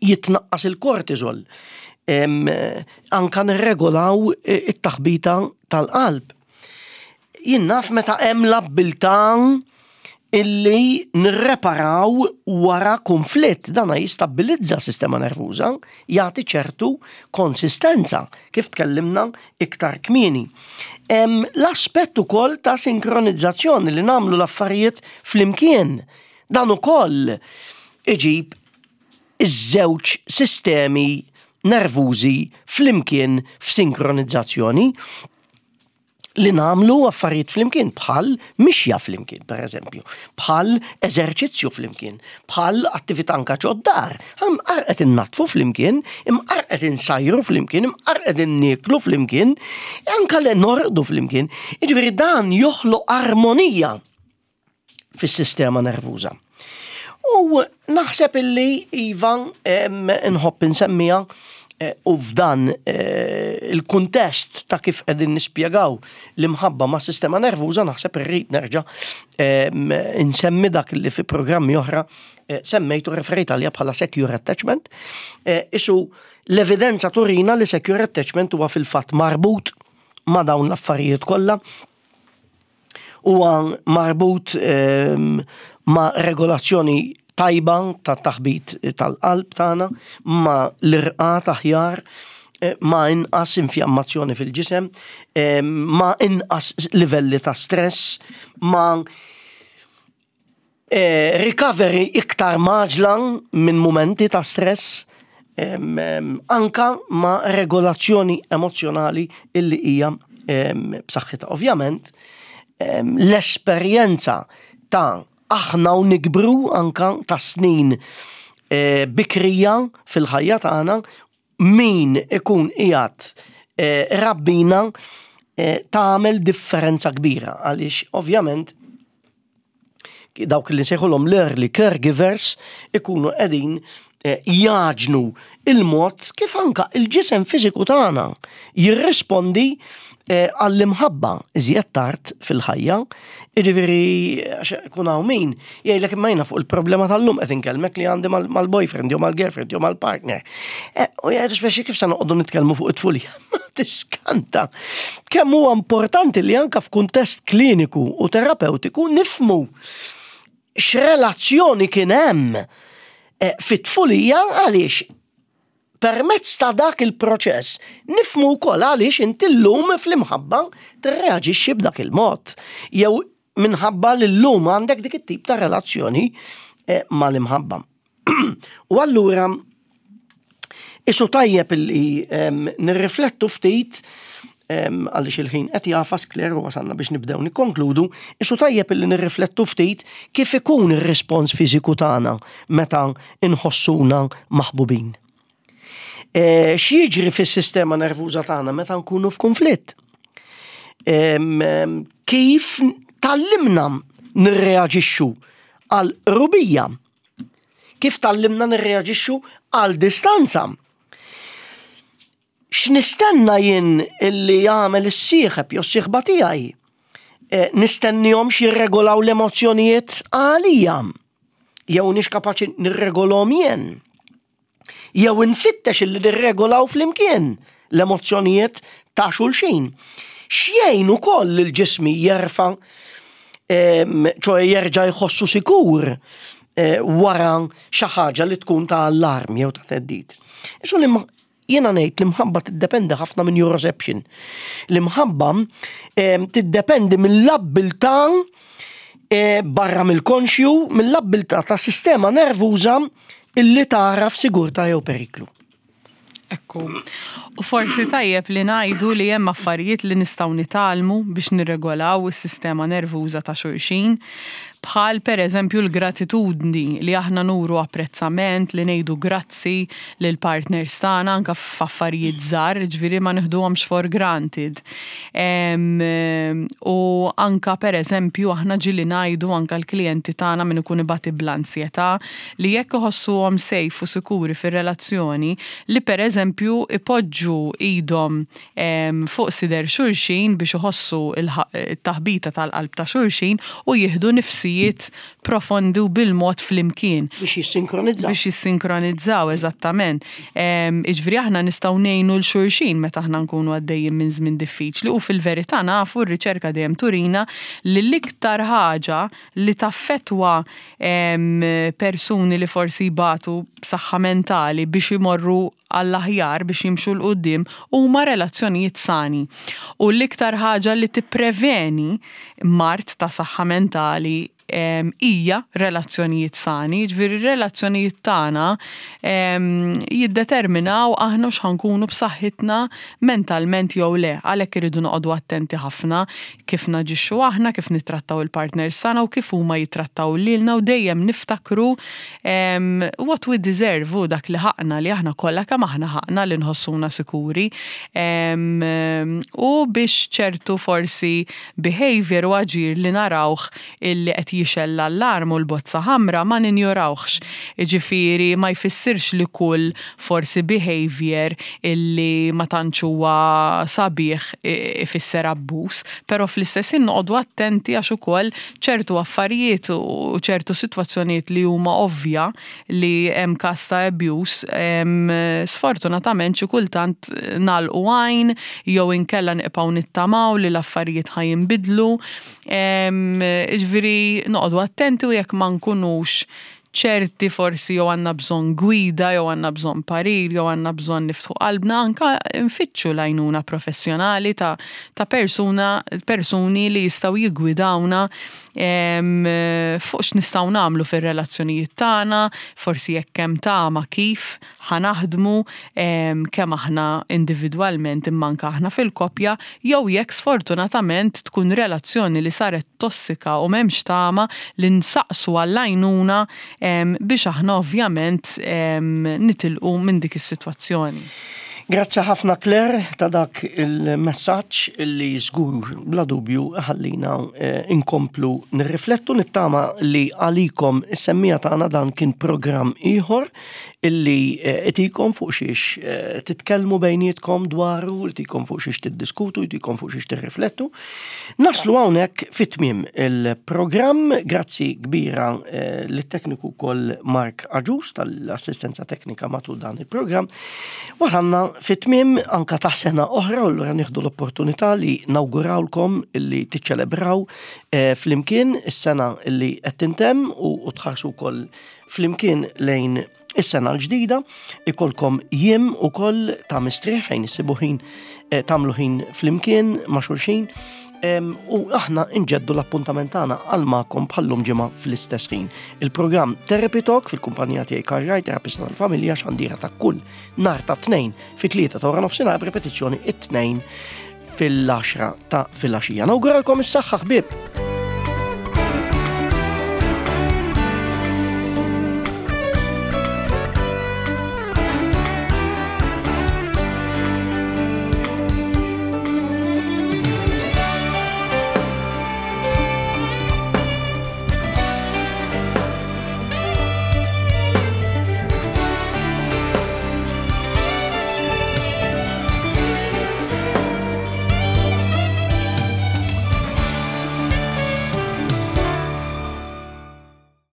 A: jitnaqqas il-kortisol. Anka nirregolaw it-taħbita tal-qalb. Jien naf meta hemm l-abbiltà illi nirreparaw wara konflitt, dana jistabbilizza s-sistema nervuża, jagħti ċertu konsistenza, kif tkellimna iktar kmieni. L-aspett ukoll ta' sinkronizzazzjoni li nagħmlu l-affarijiet flimkien, dan ukoll iġib iż-żewġ sistemi nervużi flimkien f'sinkronizzazzjoni li nagħmlu affarijiet flimkien bħal mixja flimkien, per eżempju, bħal eżerċizzju flimkien, bħal attività anka ġod-dar. Imqar qed innaddfu flimkien, imqar qed insajru flimkien, imqar qed innieklu flimkien, anka li norqdu flimkien. Jiġifieri dan joħloq armonija fis-sistema nervuża. U naħseb illi iva nħobb insemmija eh, u f'dan eh, il-kuntest ta' kif qegħdin nispjegaw l-imħabba ma' sistema nervuża naħseb irrid nerġa' insemmi dak li fi programmi oħra eh, semmejtu referejt għalija bħala secure attachment. Isu l-evidenza turina li secure attachment huwa fil-fatt marbut ma' dawn l-affarijiet kollha huwa marbut ehm, ma' regolazzjoni tajba ta' taħbit tal-qalb tagħna, ma' l-irqat aħjar, eh, ma' inqas infjammazzjoni fil-ġisem, ehm, ma' inqas livelli ta' stress, ma' eh, recovery iktar maġla minn mumenti ta' stress, anka ma' regolazzjoni emozjonali illi hija b'saħħitha. Ovvjament, l-esperjenza ta' aħna u nikbru anka ta' snin eh, bikrija fil-ħajja tagħna min ikun qiegħed eh, rabbina eh, tagħmel differenza kbira għaliex ovvjament dawk li nsejħulhom l-early caregivers ikunu qegħdin eh, jaġnu il-mod kif anka il-ġisem fiżiku tagħna jirrispondi eh, għall-imħabba iżjed tard fil-ħajja. Jiġifieri għax kun hawn min jgħidlek imma jiena fuq il-problema tal-lum qed inkellmek li għandi mal-boyfriend jew mal-girlfriend jew mal-partner. Eh, u jgħidu speċi kif se noqogħdu nitkellmu fuq it-tfulija. Ma tiskanta. Kemm huwa importanti li anka f'kuntest kliniku u terapeutiku nifmu x'relazzjoni kien hemm eh, fit-tfulija għaliex permezz ta' dak il-proċess nifmu wkoll għaliex inti llum fl-imħabba tirreaġixxi b'dak il-mod. Jew minħabba li llum għandek dik it-tip ta' relazzjoni eh, mal-imħabba. U allura isu tajjeb li nirriflettu ftit għaliex il-ħin qed jafas Claire u wasalna biex nibdew nikkonkludu, isu tajjeb li nirriflettu ftit kif ikun ir-rispons fiżiku tagħna meta inħossuna maħbubin. E, x'jiġri fis-sistema nervuża tagħna meta nkunu f'kunflitt? Kif tallimna nirreaġixxu għal rubija? Kif tallimna nirreaġixxu għal distanza? X'nistenna jien illi jagħmel is-sieħeb jew s-sieħba tiegħi? E, nistennihom x'jirregolaw l-emozzjonijiet għalija jew nix kapaċi nirregolhom jien. Jew infittex illi nirregolaw flimkien l-emozzjonijiet ta' xulxin. X'jgħin ukoll lil ġismi jerfa' ċoe jerġa' jħossu sikur eh, wara xi ħaġa li tkun ta' allarm jew ta' theddid. Isu li jiena ngħid l-imħabba tiddependi ħafna minn neuroception. L-imħabba tiddependi mill-abbiltà eh, barra mill-konxju, mill-abbiltà ta' sistema nervuża illi tara f'sigurtà jew periklu.
B: Ekku. U forsi tajjeb li ngħidu li hemm affarijiet li nistgħu nitgħallmu biex nirregolaw is-sistema nervuża ta' xulxin, bħal pereżempju l-gratitudni li aħna nuru apprezzament, li ngħidu grazzi lill-partners tagħna anke f'affarijiet żgħar, jiġifieri ma nieħduhomx for granted. U anke pereżempju aħna ġieli ngħidu anke l-klijenti tagħna min ikun ibati bl-ansjetà li jekk iħossuhom safe u sikuri fir-relazzjoni, li pereżempju ipoġġu idhom fuq sider xulxin biex iħossu t-taħbita tal-qalb ta' xulxin u jieħdu nifsija. ħsibijiet profondi u bil-mod flimkien.
A: Biex jissinkronizzaw.
B: Biex jissinkronizzaw, eżattament. Jiġifieri aħna nistgħu ngħinu 'l xulxin meta aħna nkunu għaddejjin minn żmien diffiċli u fil-verità nafu r-riċerka dejjem turina li l-iktar ħaġa li taffettwa persuni li forsi jbatu b'saħħa mentali biex imorru għall-aħjar biex jimxu 'l quddiem huma relazzjonijiet sani. U l-iktar ħaġa li tippreveni mard ta' saħħa mentali hija relazzjonijiet sani, jiġifieri r-relazzjonijiet tagħna jiddeterminaw aħna hux ħa nkunu b'saħħitna mentalment jew le. Għalhekk irridu noqogħdu attenti ħafna kif naġixxu aħna, kif nittrattaw il-partners tagħna u kif huma jittrattaw lilna u dejjem niftakru what we deserve hu dak li ħaqna li aħna kollha kemm aħna ħaqna li nħossuna sikuri u biex ċertu forsi behavior u aġir li narawh illi qed jixgħel l-allarm u l-bozza ħamra ma ninjorawhx. Jiġifieri ma jfissirx li kull forsi behavior illi ma tantx huwa sabiħ ifisser abbuż, però fl-istess ħin noqogħdu attenti għax ukoll ċertu affarijiet u ċertu sitwazzjonijiet li huma ovvja li hemm każ ta' abuse, sfortunatament xi kultant nagħlqu għajn jew inkella nibqgħu nittamaw li l-affarijiet ħa jinbidlu. Jiġifieri noqogħdu attenti u jekk ma nkunux ċerti forsi jew għandna bżonn gwida jew għandna bżonn parir jew għandna bżonn niftħu qalbna anka nfittxu l-għajnuna professjonali ta' ta' persuna persuni li jistgħu jiggwidawna fuq x'nistgħu nagħmlu fir-relazzjonijiet tagħna, forsi jekk hemm tama kif ħa naħdmu kemm aħna individwalment imma anke aħna fil-koppja, jew jekk sfortunatament tkun relazzjoni li saret tossika u m'hemmx tama li nsaqsu għall-għajnuna biex aħna ovvjament nitilqu minn dik is-sitwazzjoni.
A: Grazzi ħafna Claire ta' dak il-messaġġ li żgur bla dubju ħallina eh, inkomplu nirriflettu nittama li għalikom is-semmija tagħna dan kien programm ieħor illi eh, itikom fuq xiex eh, titkellmu bejnietkom dwaru, itikom fuq xiex tiddiskutu, itikom fuq xiex tirriflettu. Naslu hawnhekk fit-tmiem il-programm, grazzi kbira eh, lit-tekniku wkoll Mark Aġus tal-assistenza teknika matul dan il-programm. Wasalna fit-tmiem anka ta' sena oħra u allura nieħdu l-opportunità li nawgurawlkom illi tiċċelebraw flimkien is-sena illi qed tintemm u tħarsu wkoll flimkien lejn is-sena l-ġdida, ikolkom jiem ukoll ta' mistrieħ fejn issibu ħin eh, tagħmlu ħin flimkien ma' xulxin u aħna nġeddu l-appuntament tagħna għal magħkom bħallum ġimgħa fl-istess ħin. Il-programm Therapy Talk fil-kumpanija tiegħi Karl Wright, terapista tal-familja xandira ta' kull nar ta' tnejn fit-tlieta ta' wara nofsinhar b'repetizzjoni it-tnejn fil-10 ta' filgħaxija. Nawguralkom is-saħħa ħbieb!